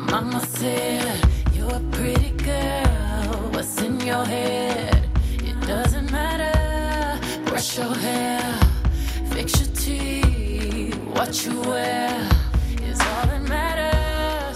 Mama said, you you a pretty girl. What's in your head? It doesn't matter. Brush your hair, fix your teeth, what you wear is all that matters.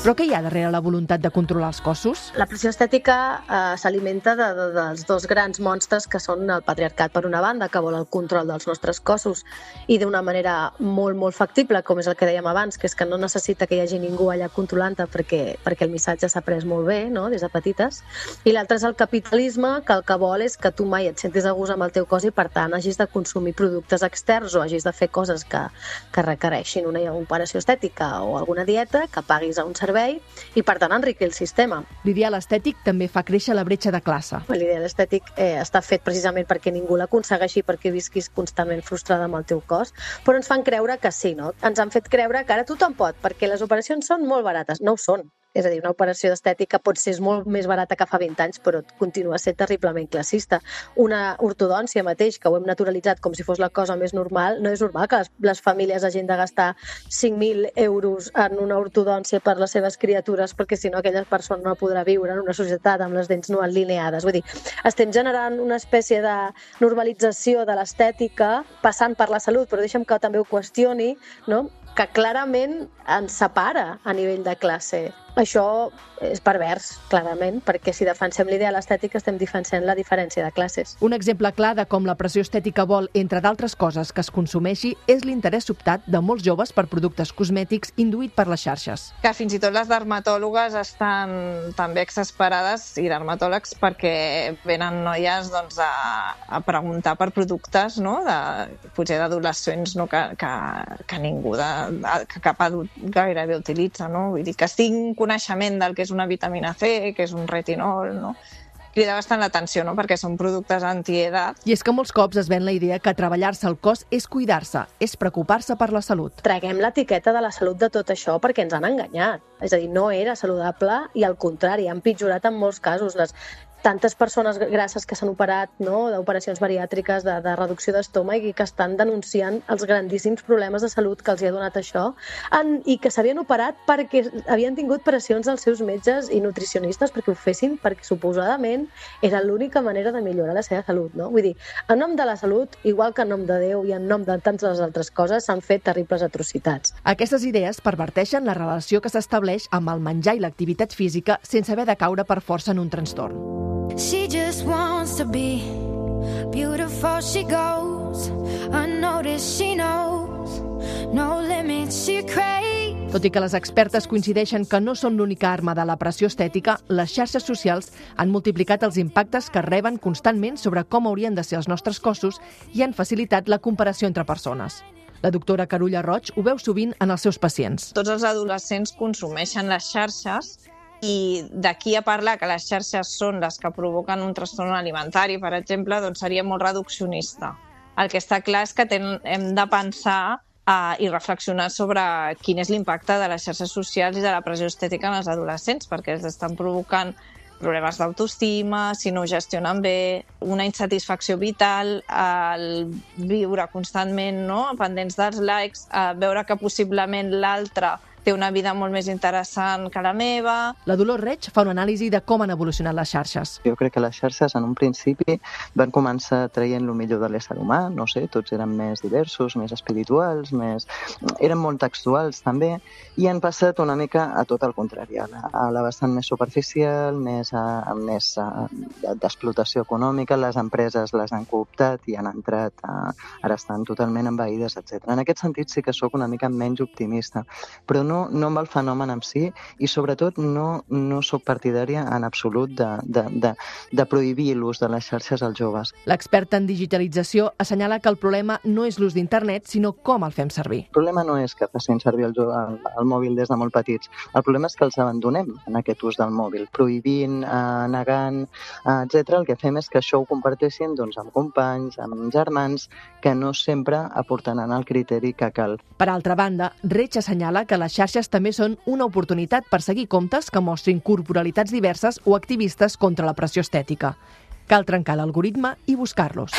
Però què hi ha darrere la voluntat de controlar els cossos? La pressió estètica eh, s'alimenta de, de, dels dos grans monstres que són el patriarcat per una banda, que vol el control dels nostres cossos i d'una manera molt, molt factible, com és el que dèiem abans, que és que no necessita que hi hagi ningú allà controlant-te perquè, perquè el missatge s'ha pres molt bé, no?, des de petites. I l'altre és el capitalisme, que el que vol és que tu mai et sentis a gust amb el teu cos i, per tant, hagis de consumir productes externs o hagis de fer coses que, que requereixin una operació estètica o alguna dieta, que paguis a un servei i, per tant, enriquir el sistema. L'ideal estètic també fa créixer la bretxa de classe. L'ideal estètic eh, està fet precisament perquè ningú l'aconsegueixi, perquè visquis constantment frustrada amb el teu cos, però ens fan creure que sí, no? Ens han fet creure que ara tothom pot, perquè les operacions són molt barates. No ho són. És a dir, una operació d'estètica pot ser molt més barata que fa vint anys, però continua sent terriblement classista. Una ortodòncia mateix, que ho hem naturalitzat com si fos la cosa més normal, no és normal que les, les famílies hagin de gastar cinc mil euros en una ortodòncia per les seves criatures, perquè si no aquella persona no podrà viure en una societat amb les dents no alineades. Vull dir, estem generant una espècie de normalització de l'estètica passant per la salut, però deixa'm que també ho qüestioni, no?, que clarament ens separa a nivell de classe. Això és pervers, clarament, perquè si defensem l'ideal estètic estem defensant la diferència de classes. Un exemple clar de com la pressió estètica vol, entre d'altres coses, que es consumeixi és l'interès sobtat de molts joves per productes cosmètics induït per les xarxes. Que fins i tot les dermatòlogues estan també exasperades, i dermatòlegs, perquè venen noies doncs, a, a preguntar per productes, no?, de, potser d'adolescents, no?, que, que, que ningú, de, que cap adult gairebé utilitza, no? Vull dir que tinc coneixement del que és una vitamina C, que és un retinol, no? Crida bastant l'atenció, no?, perquè són productes antiedat. I és que molts cops es ven la idea que treballar-se el cos és cuidar-se, és preocupar-se per la salut. Traguem l'etiqueta de la salut de tot això perquè ens han enganyat. És a dir, no era saludable i, al contrari, han pitjorat en molts casos. Les tantes persones grasses que s'han operat, no?, d'operacions bariàtriques, de, de reducció d'estómac, i que estan denunciant els grandíssims problemes de salut que els hi ha donat això, en, i que s'havien operat perquè havien tingut pressions dels seus metges i nutricionistes perquè ho fessin, perquè suposadament era l'única manera de millorar la seva salut, no? Vull dir, en nom de la salut, igual que en nom de Déu i en nom de tantes altres coses, s'han fet terribles atrocitats. Aquestes idees perverteixen la relació que s'estableix amb el menjar i l'activitat física sense haver de caure per força en un trastorn. She just wants to be beautiful, she goes unnoticed, she knows no limits, she craves. Tot i que les expertes coincideixen que no són l'única arma de la pressió estètica, les xarxes socials han multiplicat els impactes que reben constantment sobre com haurien de ser els nostres cossos i han facilitat la comparació entre persones. La doctora Carulla Roig ho veu sovint en els seus pacients. Tots els adolescents consumeixen les xarxes i d'aquí a parlar que les xarxes són les que provoquen un trastorn alimentari, per exemple, doncs seria molt reduccionista. El que està clar és que ten, hem de pensar uh, i reflexionar sobre quin és l'impacte de les xarxes socials i de la pressió estètica en els adolescents, perquè els estan provocant problemes d'autoestima, si no ho gestionen bé, una insatisfacció vital, el viure constantment, no?, pendents dels likes, veure que possiblement l'altre té una vida molt més interessant que la meva. La Dolors Reig fa una anàlisi de com han evolucionat les xarxes. Jo crec que les xarxes en un principi van començar traient el millor de l'ésser humà, no sé, tots eren més diversos, més espirituals, més... eren molt textuals també, i han passat una mica a tot el contrari, a la, a la vessant més superficial, més, a, més a, d'explotació econòmica, les empreses les han cooptat i han entrat, a, ara estan totalment envaïdes, etcètera. En aquest sentit sí que sóc una mica menys optimista, però no, no amb el fenomen en si i sobretot no, no sóc partidària en absolut de, de, de, de prohibir l'ús de les xarxes als joves. L'experta en digitalització assenyala que el problema no és l'ús d'internet, sinó com el fem servir. El problema no és que facin servir el, el, el mòbil des de molt petits, el problema és que els abandonem en aquest ús del mòbil, prohibint, eh, negant, eh, etcètera. El que fem és que això ho comparteixin doncs, amb companys, amb germans, que no sempre aportaran el criteri que cal. Per altra banda, Reig assenyala que les xarxes també són una oportunitat per seguir comptes que mostrin corporalitats diverses o activistes contra la pressió estètica. Cal trencar l'algoritme i buscar-los.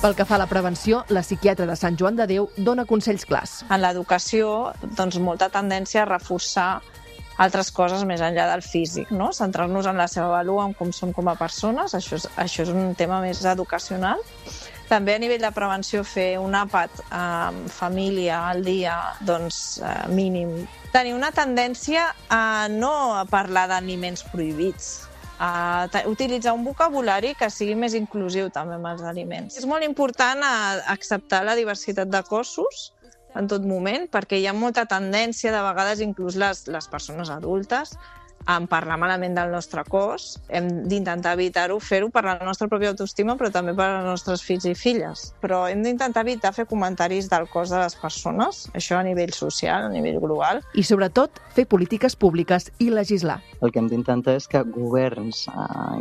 Pel que fa a la prevenció, la psiquiatra de Sant Joan de Déu dona consells clars. En l'educació, doncs, molta tendència a reforçar altres coses més enllà del físic, no? Centrar-nos en la seva vàlua, en com som com a persones, això és, això és un tema més educacional. També a nivell de prevenció fer un àpat amb família al dia, doncs mínim. Tenir una tendència a no parlar d'aliments prohibits, a utilitzar un vocabulari que sigui més inclusiu també amb els aliments. És molt important acceptar la diversitat de cossos en tot moment, perquè hi ha molta tendència, de vegades inclús les, les persones adultes, en parlar malament del nostre cos. Hem d'intentar evitar-ho, fer-ho per la nostra pròpia autoestima, però també per als nostres fills i filles. Però hem d'intentar evitar fer comentaris del cos de les persones, això a nivell social, a nivell global. I sobretot, fer polítiques públiques i legislar. El que hem d'intentar és que governs,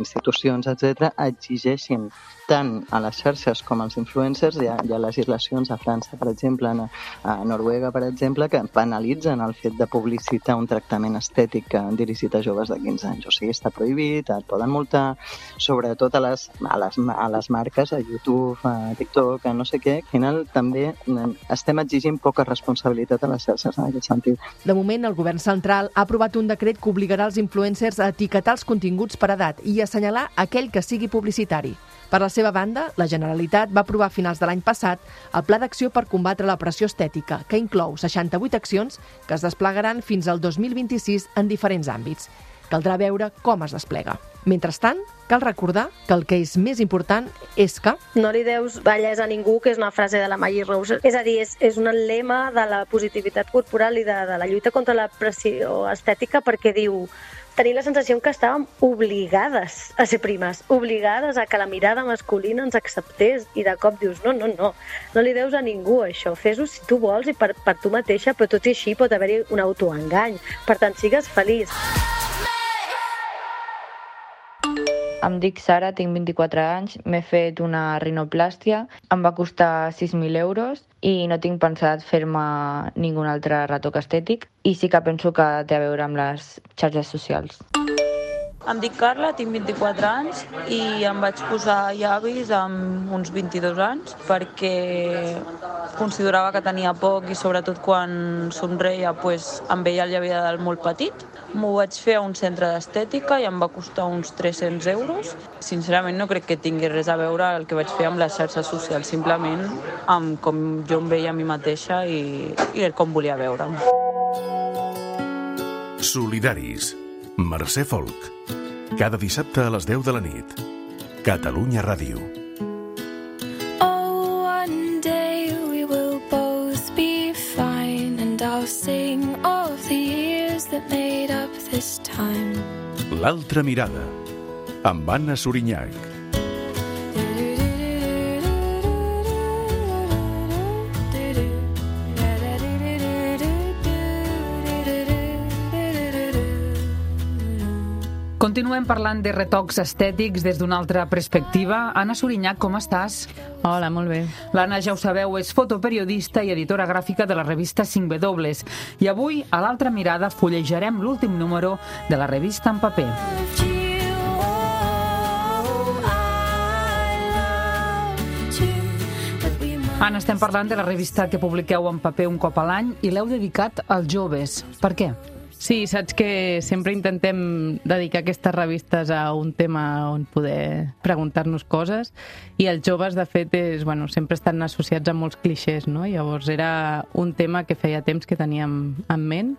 institucions, etcètera, exigeixin tant a les xarxes com als influencers. Hi ha, hi ha legislacions a França, per exemple, a Noruega, per exemple, que penalitzen el fet de publicitar un tractament estètic dirigit a joves de quinze anys. O sigui, està prohibit, et poden multar, sobretot a les, a les, a les marques, a YouTube, a TikTok, a no sé què. Al final també estem exigint poca responsabilitat a les xarxes en aquest sentit. De moment, el govern central ha aprovat un decret que obligarà els influencers a etiquetar els continguts per edat i a assenyalar aquell que sigui publicitari. Per la seva banda, la Generalitat va aprovar a finals de l'any passat el Pla d'Acció per combatre la pressió estètica, que inclou seixanta-vuit accions que es desplegaran fins al dos mil vint-i-sis en diferents àmbits. Caldrà veure com es desplega. Mentrestant, cal recordar que el que és més important és que... No li deus bellesa a ningú, que és una frase de la Maggie Rose. És a dir, és, és un lema de la positivitat corporal i de, de la lluita contra la pressió estètica, perquè diu... Tenir la sensació que estàvem obligades a ser primes, obligades a que la mirada masculina ens acceptés, i de cop dius, no, no, no, no li deus a ningú això, fes-ho si tu vols i per, per tu mateixa, però tot i així pot haver-hi un autoengany. Per tant, sigues feliç. Em dic Sara, tinc vint-i-quatre anys, m'he fet una rinoplàstia, em va costar sis mil euros i no tinc pensat fer-me ningun altre retoc estètic i sí que penso que té a veure amb les xarxes socials. Em dic Carla, tinc vint-i-quatre anys i em vaig posar llavis amb uns vint-i-dos anys perquè considerava que tenia poc i sobretot quan somreia pues, em veia el llavi de dalt molt petit. M'ho vaig fer a un centre d'estètica i em va costar uns tres-cents euros. Sincerament no crec que tingui res a veure el que vaig fer amb les xarxes socials, simplement amb com jo em veia a mi mateixa i, i com volia veure'm. Solidaris. Mercè Folk. Cada dissabte a les deu de la nit. Catalunya Ràdio. Oh, one day we will both be fine and I'll sing of the years that made up this time. L'altra mirada. Amb Anna Sorinyac. Continuem parlant de retocs estètics des d'una altra perspectiva. Anna Sorinyac, com estàs? Hola, molt bé. L'Anna, ja ho sabeu, és fotoperiodista i editora gràfica de la revista cinc W. I avui, a l'altra mirada, fullejarem l'últim número de la revista en paper. Anna, estem parlant de la revista que publiqueu en paper un cop a l'any i l'heu dedicat als joves. Per què? Sí, saps que sempre intentem dedicar aquestes revistes a un tema on poder preguntar-nos coses i els joves, de fet, és, bueno, sempre estan associats a molts clixés, no? Llavors era un tema que feia temps que teníem en ment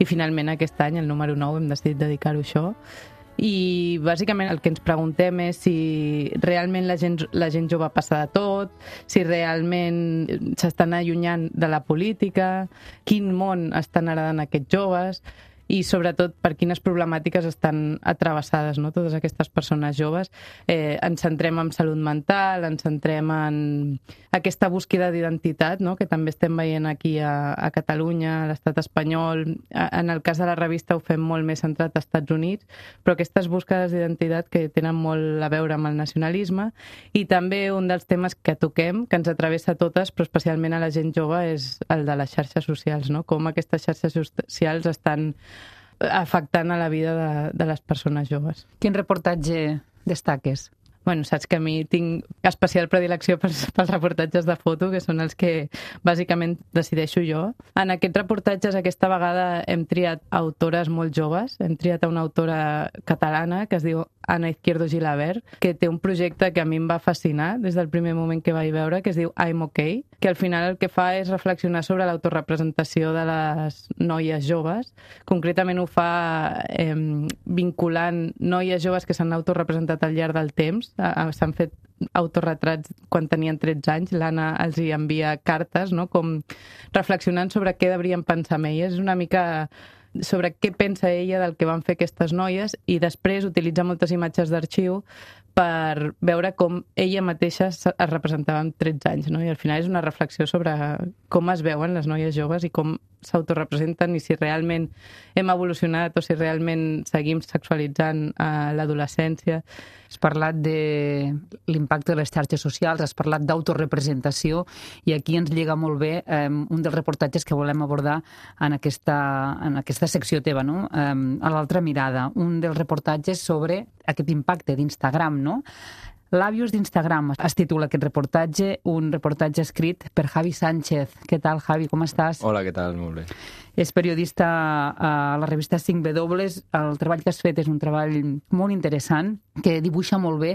i finalment aquest any, el número nou, hem decidit dedicar-ho a això. I bàsicament el que ens preguntem és si realment la gent, la gent jove passa de tot, si realment s'estan allunyant de la política, quin món estan heredant aquests joves i sobretot per quines problemàtiques estan atrevessades, no? Totes aquestes persones joves. Eh, ens centrem en salut mental, ens centrem en aquesta búsqueda d'identitat, no? Que també estem veient aquí a, a Catalunya, a l'estat espanyol. En el cas de la revista ho fem molt més centrat als Estats Units, però aquestes búsquedes d'identitat que tenen molt a veure amb el nacionalisme i també un dels temes que toquem, que ens atravessa a totes, però especialment a la gent jove, és el de les xarxes socials, no? Com aquestes xarxes socials estan afectant a la vida de, de les persones joves. Quin reportatge destaques? bueno, saps que a mi tinc especial predilecció pels, pels reportatges de foto, que són els que bàsicament decideixo jo. En aquests reportatges aquesta vegada hem triat autores molt joves, hem triat a una autora catalana que es diu Ana Izquierdo Gilabert, que té un projecte que a mi em va fascinar des del primer moment que vaig veure, que es diu I'm OK, que al final el que fa és reflexionar sobre l'autorepresentació de les noies joves. Concretament ho fa eh, vinculant noies joves que s'han autorrepresentat al llarg del temps. S'han fet autorretrats quan tenien tretze anys. L'Anna els hi envia cartes, no?, com reflexionant sobre què deurien pensar amb elles. És una mica sobre què pensa ella del que van fer aquestes noies i després utilitza moltes imatges d'arxiu per veure com ella mateixa es representava amb tretze anys, no? I al final és una reflexió sobre com es veuen les noies joves i com s'autorepresenten i si realment hem evolucionat o si realment seguim sexualitzant a l'adolescència. Has parlat de l'impacte de les xarxes socials, has parlat d'autorepresentació i aquí ens lliga molt bé eh, un dels reportatges que volem abordar en aquesta, en aquesta secció teva, no? Eh, a l'altra mirada, un dels reportatges sobre aquest impacte d'Instagram, no? Làbios d'Instagram es titula aquest reportatge, un reportatge escrit per Javi Sánchez. Què tal, Javi, com estàs? Hola, què tal? Molt bé. És periodista a la revista cinc W. El treball que has fet és un treball molt interessant que dibuixa molt bé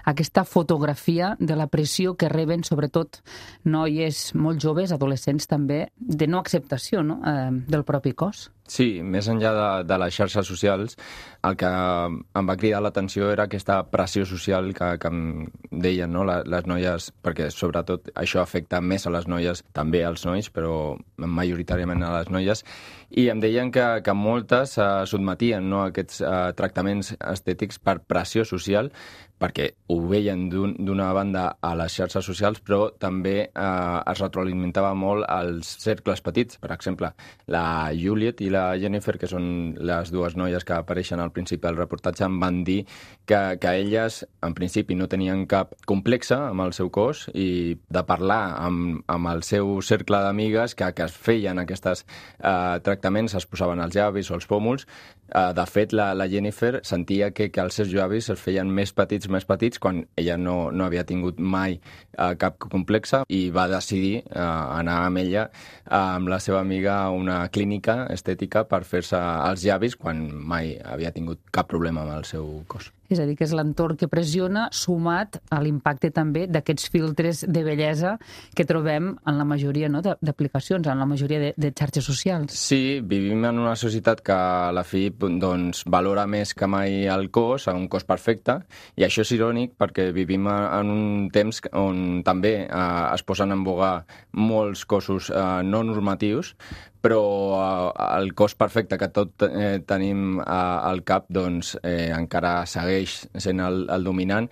aquesta fotografia de la pressió que reben sobretot noies molt joves, adolescents també, de no acceptació, no?, eh, del propi cos. Sí, més enllà de, de les xarxes socials, el que em va cridar l'atenció era aquesta pressió social que, que em deien, no?, les, les noies, perquè sobretot això afecta més a les noies, també als nois, però majoritàriament a les noies, i em deien que, que moltes eh, sotmetien, no?, a aquests eh, tractaments estètics per pressió social, perquè ho veien d'una un, banda a les xarxes socials, però també eh, es retroalimentava molt als cercles petits. Per exemple, la Juliet i la Jennifer, que són les dues noies que apareixen al principi del reportatge, em van dir que, que elles, en principi, no tenien cap complexe amb el seu cos i de parlar amb, amb el seu cercle d'amigues que, que es feien aquests eh, tractaments, es posaven els llavis o els pòmuls. Eh, de fet, la, la Jennifer sentia que, que els seus llavis es feien més petits més petits quan ella no, no havia tingut mai eh, cap complexe i va decidir eh, anar amb ella eh, amb la seva amiga a una clínica estètica per fer-se els llavis quan mai havia tingut cap problema amb el seu cos. És a dir, que és l'entorn que pressiona sumat a l'impacte també d'aquests filtres de bellesa que trobem en la majoria, no?, d'aplicacions, en la majoria de, de xarxes socials. Sí, vivim en una societat que a la fi doncs, valora més que mai el cos, un cos perfecte, i això és irònic perquè vivim en un temps on també eh, es posen en boga molts cossos eh, no normatius, però eh, el cos perfecte que tot eh, tenim eh, al cap doncs, eh, encara segueix sent el, el dominant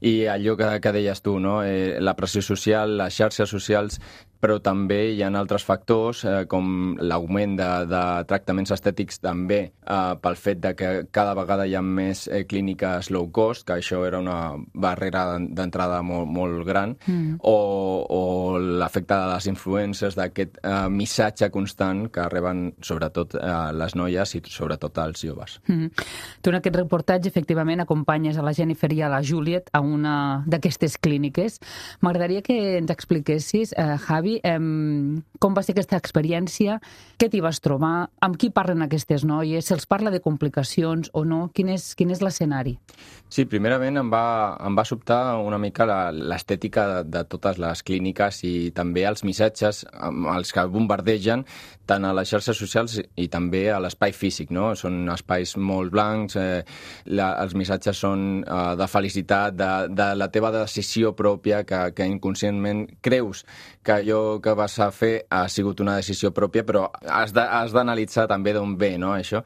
i allò que, que deies tu, no? eh, la pressió social, les xarxes socials, però també hi ha altres factors eh, com l'augment de, de tractaments estètics també eh, pel fet de que cada vegada hi ha més eh, clíniques low cost, que això era una barrera d'entrada molt, molt gran, mm. o, o l'efecte de les influències d'aquest eh, missatge constant que reben sobretot eh, les noies i sobretot els joves. Mm. Tu en aquest reportatge efectivament acompanyes a la Jennifer i a la Juliet a una d'aquestes clíniques. M'agradaria que ens expliquessis, eh, Javi, eh, com va ser aquesta experiència, què t'hi vas trobar, amb qui parlen aquestes noies, se'ls parla de complicacions o no, quin és, quin és l'escenari? Sí, primerament em va, em va sobtar una mica l'estètica de, de totes les clíniques i també els missatges amb els que bombardegen tant a les xarxes socials i també a l'espai físic, no? Són espais molt blancs, eh, la, els missatges són eh, de felicitat, de, de la teva decisió pròpia, que, que inconscientment creus que allò que vas a fer ha sigut una decisió pròpia, però has d'analitzar també d'on ve, no, això.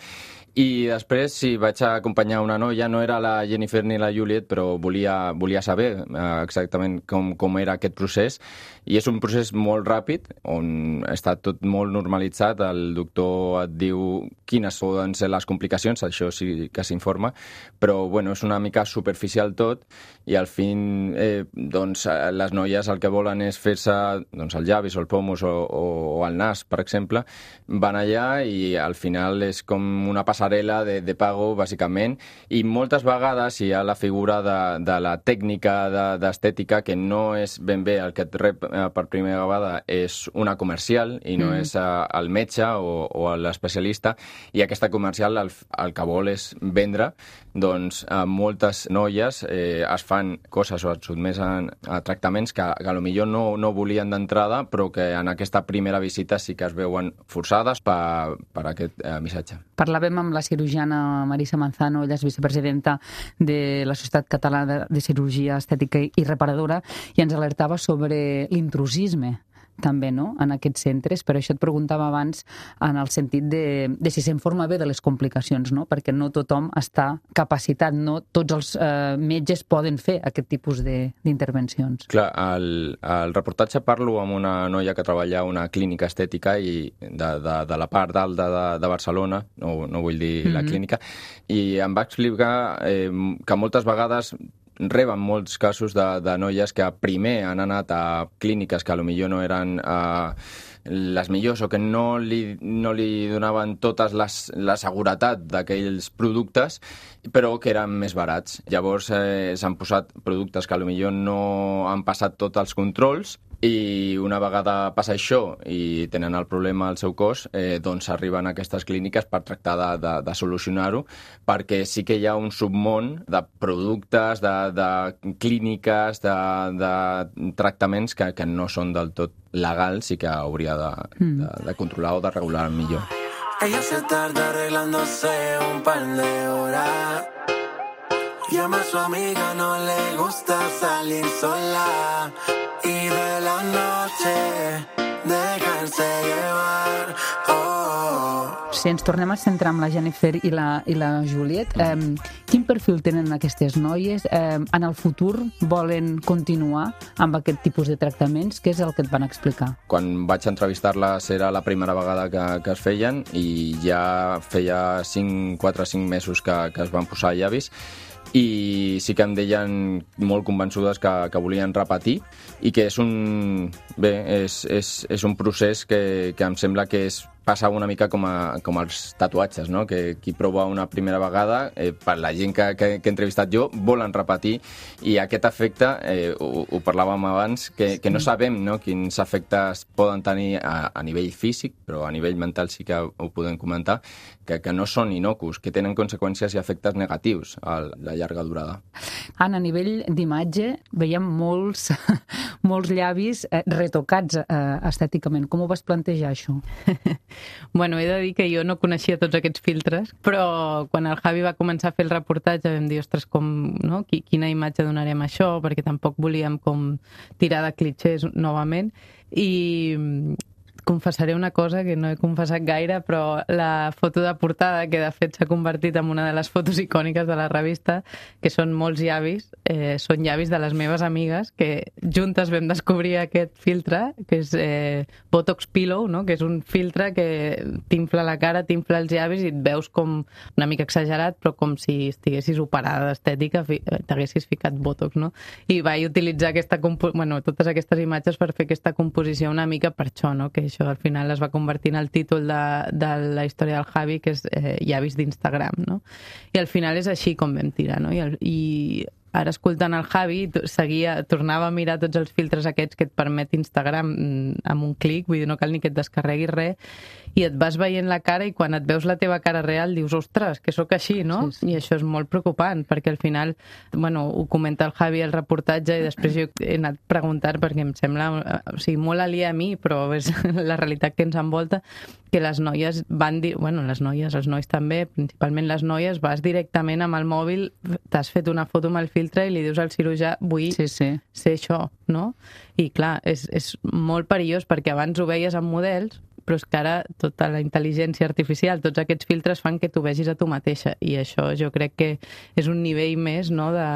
I després, sí, vaig acompanyar una noia, no era la Jennifer ni la Juliet, però volia, volia saber eh, exactament com, com era aquest procés. I és un procés molt ràpid, on està tot molt normalitzat. El doctor et diu quines poden ser les complicacions, això sí que s'informa, però bueno, és una mica superficial tot, i al fin eh, doncs, les noies el que volen és fer-se doncs, el llavis o el pomus o, o, o el nas, per exemple. Van allà i al final és com una passada passarel·la de, de pago, bàsicament, i moltes vegades hi ha la figura de, de la tècnica d'estètica que no és ben bé el que et rep per primera vegada, és una comercial i no mm. és el metge o, o l'especialista, i aquesta comercial el, el que vol és vendre. Doncs moltes noies eh, es fan coses o es sotmeten a tractaments que, que potser no, no volien d'entrada, però que en aquesta primera visita sí que es veuen forçades per, per aquest eh, missatge. Parlàvem amb la cirurgiana Marisa Manzano, ella és vicepresidenta de la Societat Catalana de Cirurgia Estètica i Reparadora, i ens alertava sobre l'intrusisme també, no?, en aquests centres. Per això et preguntava abans en el sentit de, de si s'informa bé de les complicacions, no?, perquè no tothom està capacitat, no tots els eh, metges poden fer aquest tipus d'intervencions. Clar, al, al reportatge parlo amb una noia que treballa a una clínica estètica i de, de, de la part alta de, de Barcelona, no, no vull dir mm-hmm. la clínica, i em va explicar eh, que moltes vegades reben molts casos de, de noies que primer han anat a clíniques que potser no eren eh, les millors o que no li, no li donaven totes les, la seguretat d'aquells productes, però que eren més barats. Llavors eh, s'han posat productes que potser no han passat tots els controls, i una vegada passa això i tenen el problema al seu cos, eh, doncs arriben a aquestes clíniques per tractar de, de, de solucionar-ho, perquè sí que hi ha un submón de productes, de, de clíniques, de, de tractaments que, que no són del tot legals i que hauria de, mm. de, de controlar o de regular millor. Ella se tarda arreglándose un par de horas. Llama a su amiga, no le gusta salir sola. Y de la noche dejarse llevar. Oh. Si ens tornem a centrar amb la Jennifer i la, i la Juliet, eh, quin perfil tenen aquestes noies? Eh, en el futur volen continuar amb aquest tipus de tractaments? Què és el que et van explicar? Quan vaig entrevistar-les era la primera vegada que, que es feien i ja feia cinc, quatre o cinc mesos que, que es van posar llavis, i sí que em deien molt convençudes que, que volien repetir i que és un, bé, és, és, és un procés que, que em sembla que és passa una mica com, a, com els tatuatges, no? Que qui prova una primera vegada, eh, per la gent que, que, que he entrevistat jo, volen repetir, i aquest efecte, eh, ho, ho parlàvem abans, que, que no sabem, no?, quins efectes poden tenir a, a nivell físic, però a nivell mental sí que ho podem comentar, que, que no són inocus, que tenen conseqüències i efectes negatius a la llarga durada. Anna, a nivell d'imatge veiem molts, molts llavis eh, retocats eh, estèticament. Com ho vas plantejar, això? Bueno, he de dir que jo no coneixia tots aquests filtres, però quan el Javi va començar a fer el reportatge vam dir, ostres, com, no? Quina imatge donarem a això, perquè tampoc volíem com tirar de clitxers novament, i confessaré una cosa que no he confessat gaire, però la foto de portada, que de fet s'ha convertit en una de les fotos icòniques de la revista, que són molts llavis, eh, són llavis de les meves amigues, que juntes vam descobrir aquest filtre, que és eh, Botox Pillow, no?, que és un filtre que t'infla la cara, t'infla els llavis i et veus com una mica exagerat, però com si estiguessis operada d'estètica, t'haguessis ficat Botox, no? I vaig utilitzar aquesta bueno, totes aquestes imatges per fer aquesta composició una mica per això, no?, que això al final es va convertir en el títol de, de la història del Javi, que és eh, llavis d'Instagram, no? I al final és així com vam tirar, no? I, el, i ara escoltant el Javi seguia, tornava a mirar tots els filtres aquests que et permet Instagram amb un clic, vull dir, no cal ni que et descarreguis res, i et vas veient la cara i quan et veus la teva cara real dius, ostres, que sóc així, no? Sí, sí. I això és molt preocupant, perquè al final, bueno, ho comenta el Javi al reportatge i després jo he anat preguntant perquè em sembla, o sigui, molt aliè a mi, però és la realitat que ens envolta, que les noies van dir, bueno, les noies, els nois també, principalment les noies, vas directament amb el mòbil, t'has fet una foto amb el filtre i li dius al cirurgià, vull sí, sí. ser això, no? I clar, és, és molt perillós perquè abans ho veies amb models, però és que ara tota la intel·ligència artificial, tots aquests filtres fan que tu vegis a tu mateixa, i això jo crec que és un nivell més, no?, de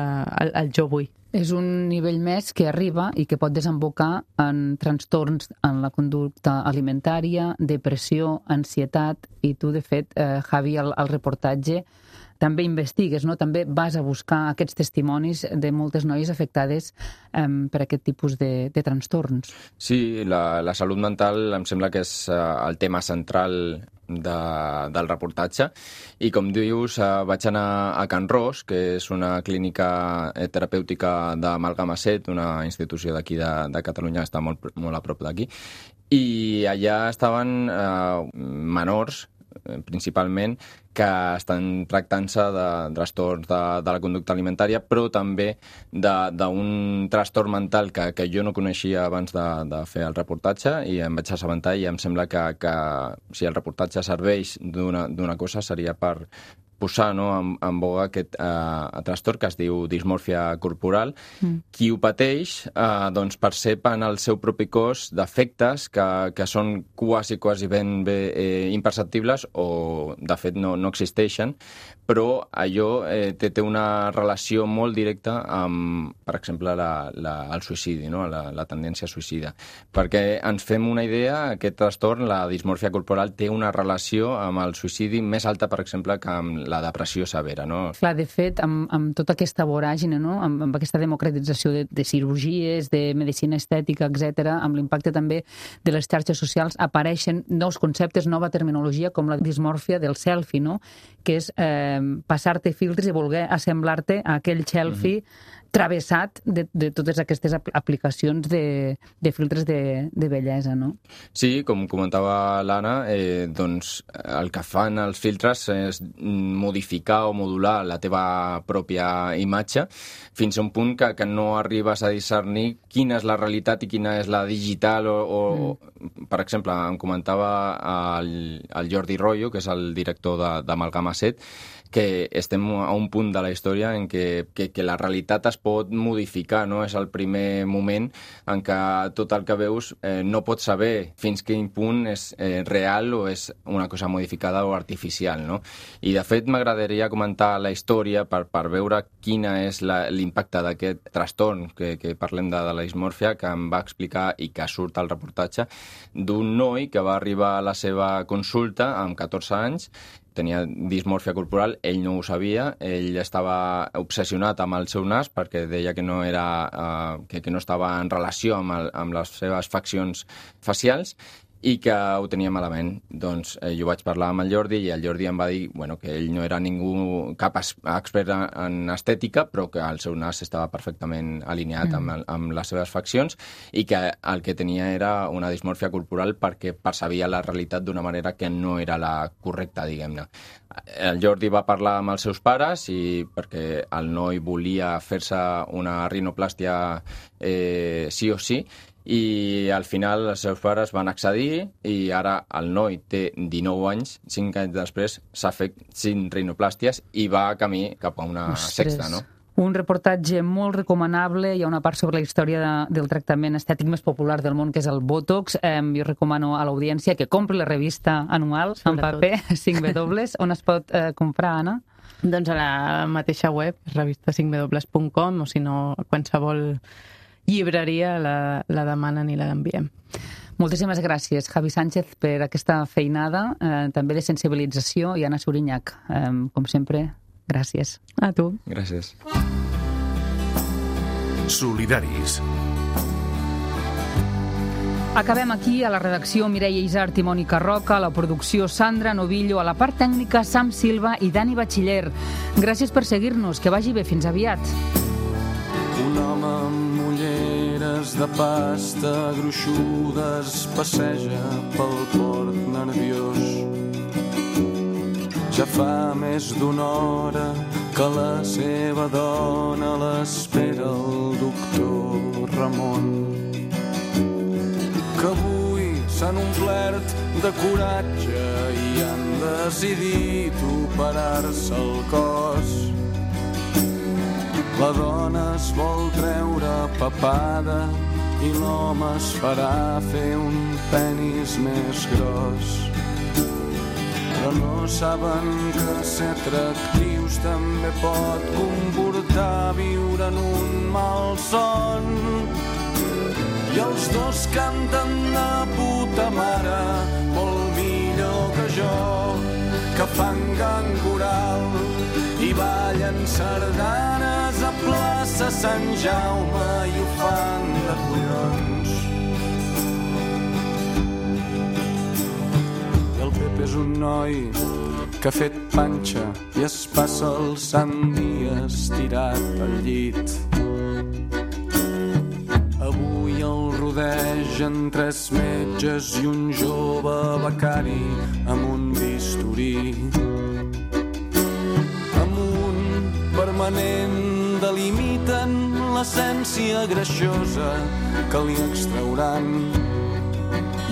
el, el jo vull. És un nivell més que arriba i que pot desembocar en trastorns en la conducta alimentària, depressió, ansietat, i tu, de fet, eh, Javi, al, al reportatge també investigues, no? També vas a buscar aquests testimonis de moltes noies afectades eh, per aquest tipus de, de trastorns. Sí, la, la salut mental em sembla que és uh, el tema central de, del reportatge, i com dius, uh, vaig anar a Can Ros, que és una clínica terapèutica de Malgama-Set, una institució d'aquí de, de Catalunya, està molt, molt a prop d'aquí, i allà estaven uh, menors, principalment, que estan tractant-se de trastorns de, de la conducta alimentària, però també d'un trastorn mental que, que jo no coneixia abans de, de fer el reportatge, i em vaig assabentar, i em sembla que, que si el reportatge serveix d'una cosa seria per posar, no, en, en boga aquest eh, trastorn que es diu dismòrfia corporal. Mm. Qui ho pateix eh, doncs percep en el seu propi cos defectes que, que són quasi, quasi ben bé eh, imperceptibles o, de fet, no, no existeixen, però allò eh, té, té una relació molt directa amb, per exemple, la, la, el suïcidi, no? la, la tendència suïcida. Perquè ens fem una idea, aquest trastorn, la dismòrfia corporal, té una relació amb el suïcidi més alta, per exemple, que amb la depressió severa, no? Clar, de fet, amb, amb tota aquesta voràgine, no? amb, amb aquesta democratització de, de cirurgies, de medicina estètica, etcètera, amb l'impacte també de les xarxes socials, apareixen nous conceptes, nova terminologia, com la dismòrfia del selfie, no? Que és eh, passar-te filtres i voler assemblar-te a aquell selfie mm-hmm. travessat de, de totes aquestes aplicacions de, de filtres de, de bellesa, no? Sí, com comentava l'Anna, eh, doncs el que fan els filtres és modificar o modular la teva pròpia imatge fins a un punt que, que no arribes a discernir quina és la realitat i quina és la digital o, o mm. per exemple, em comentava el, el Jordi Royo, que és el director de, de Malgama-Set, que estem a un punt de la història en què, que, que la realitat es pot modificar, no? És el primer moment en què tot el que veus eh, no pots saber fins quin punt és eh, real o és una cosa modificada o artificial, no? I, de fet, m'agradaria comentar la història per, per veure quina és l'impacte d'aquest trastorn que, que parlem de, de la dismòrfia, que em va explicar i que surt al reportatge, d'un noi que va arribar a la seva consulta amb catorze anys, tenia dismòrfia corporal, ell no ho sabia, ell estava obsessionat amb el seu nas perquè deia que no, era, uh, que, que no estava en relació amb, el, amb les seves faccions facials i que ho tenia malament. Doncs eh, jo vaig parlar amb el Jordi i el Jordi em va dir bueno, que ell no era ningú cap expert en estètica, però que el seu nas estava perfectament alineat mm. amb, amb les seves faccions i que el que tenia era una dismòrfia corporal perquè percebia la realitat d'una manera que no era la correcta, diguem-ne. El Jordi va parlar amb els seus pares i perquè el noi volia fer-se una rinoplàstia eh, sí o sí, i al final els seus pares van accedir i ara el noi té dinou anys, cinc anys després s'ha fet cinc rinoplàsties i va a camí cap a una Ostres. sexta, no? Un reportatge molt recomanable, hi ha una part sobre la història de, del tractament estètic més popular del món, que és el Botox. Eh, jo recomano a l'audiència que compri la revista anual en paper, cinc W. On es pot eh, comprar, Anna? Doncs a la mateixa web, revista cinc w punt com, o si no, qualsevol llibreria la, la demanen i la enviem. Moltíssimes gràcies, Javi Sánchez, per aquesta feinada, eh, també de sensibilització, i Anna Suriñach, eh, com sempre, gràcies. A tu. Gràcies. Solidaris. Acabem aquí, a la redacció Mireia Isart i Mònica Roca, a la producció Sandra Novillo, a la part tècnica Sam Silva i Dani Batxiller. Gràcies per seguir-nos, que vagi bé, fins aviat. Un home amb ulleres de pasta gruixudes passeja pel port nerviós. Ja fa més d'una hora que la seva dona l'espera el doctor Ramon, que avui s'han omplert de coratge i han decidit operar-se el cos. La dona es vol treure papada i l'home es farà fer un penis més gros. Però no saben que ser atractius també pot comportar viure en un malson. I els dos canten de puta mare, molt millor que jo, que fan gang coral i ballen sardanes a plaça Sant Jaume i ho fan de collons. I el Pepe és un noi que ha fet panxa i es passa el sant dia estirat al llit. Avui el rodegen tres metges i un jove becari amb un bisturí. Amb un permanent delimiten l'essència greixosa que li extrauran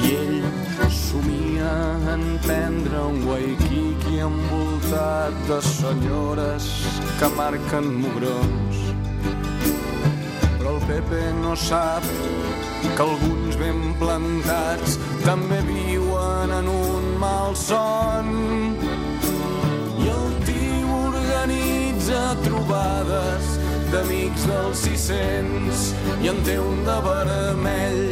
i ell somia en prendre un Waikiki envoltat de senyores que marquen mugrons. Però el Pepe no sap que alguns ben plantats també viuen en un malson. I el tio organitza trobades d'amics dels sis-cents i en té un de vermell.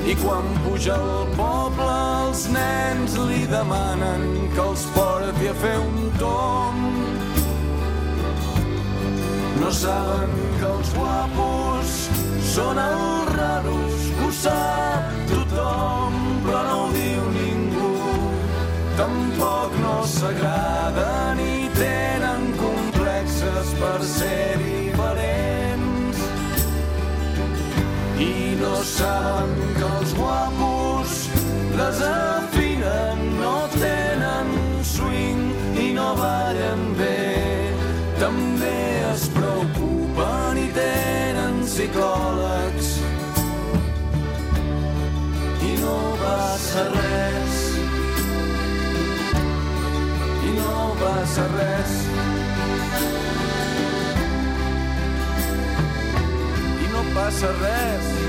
I quan puja al poble els nens li demanen que els porti a fer un tomb. No saben que els guapos són els raros, que ho sap tothom, però no ho diu ningú. Tampoc no s'agraden i tenen complexes per ser diferents. I no saben que els guapos desafinen, no tenen swing i no ballen bé. També es preocupen i tenen psicòlegs. I no passa res. I no passa res. I no passa res.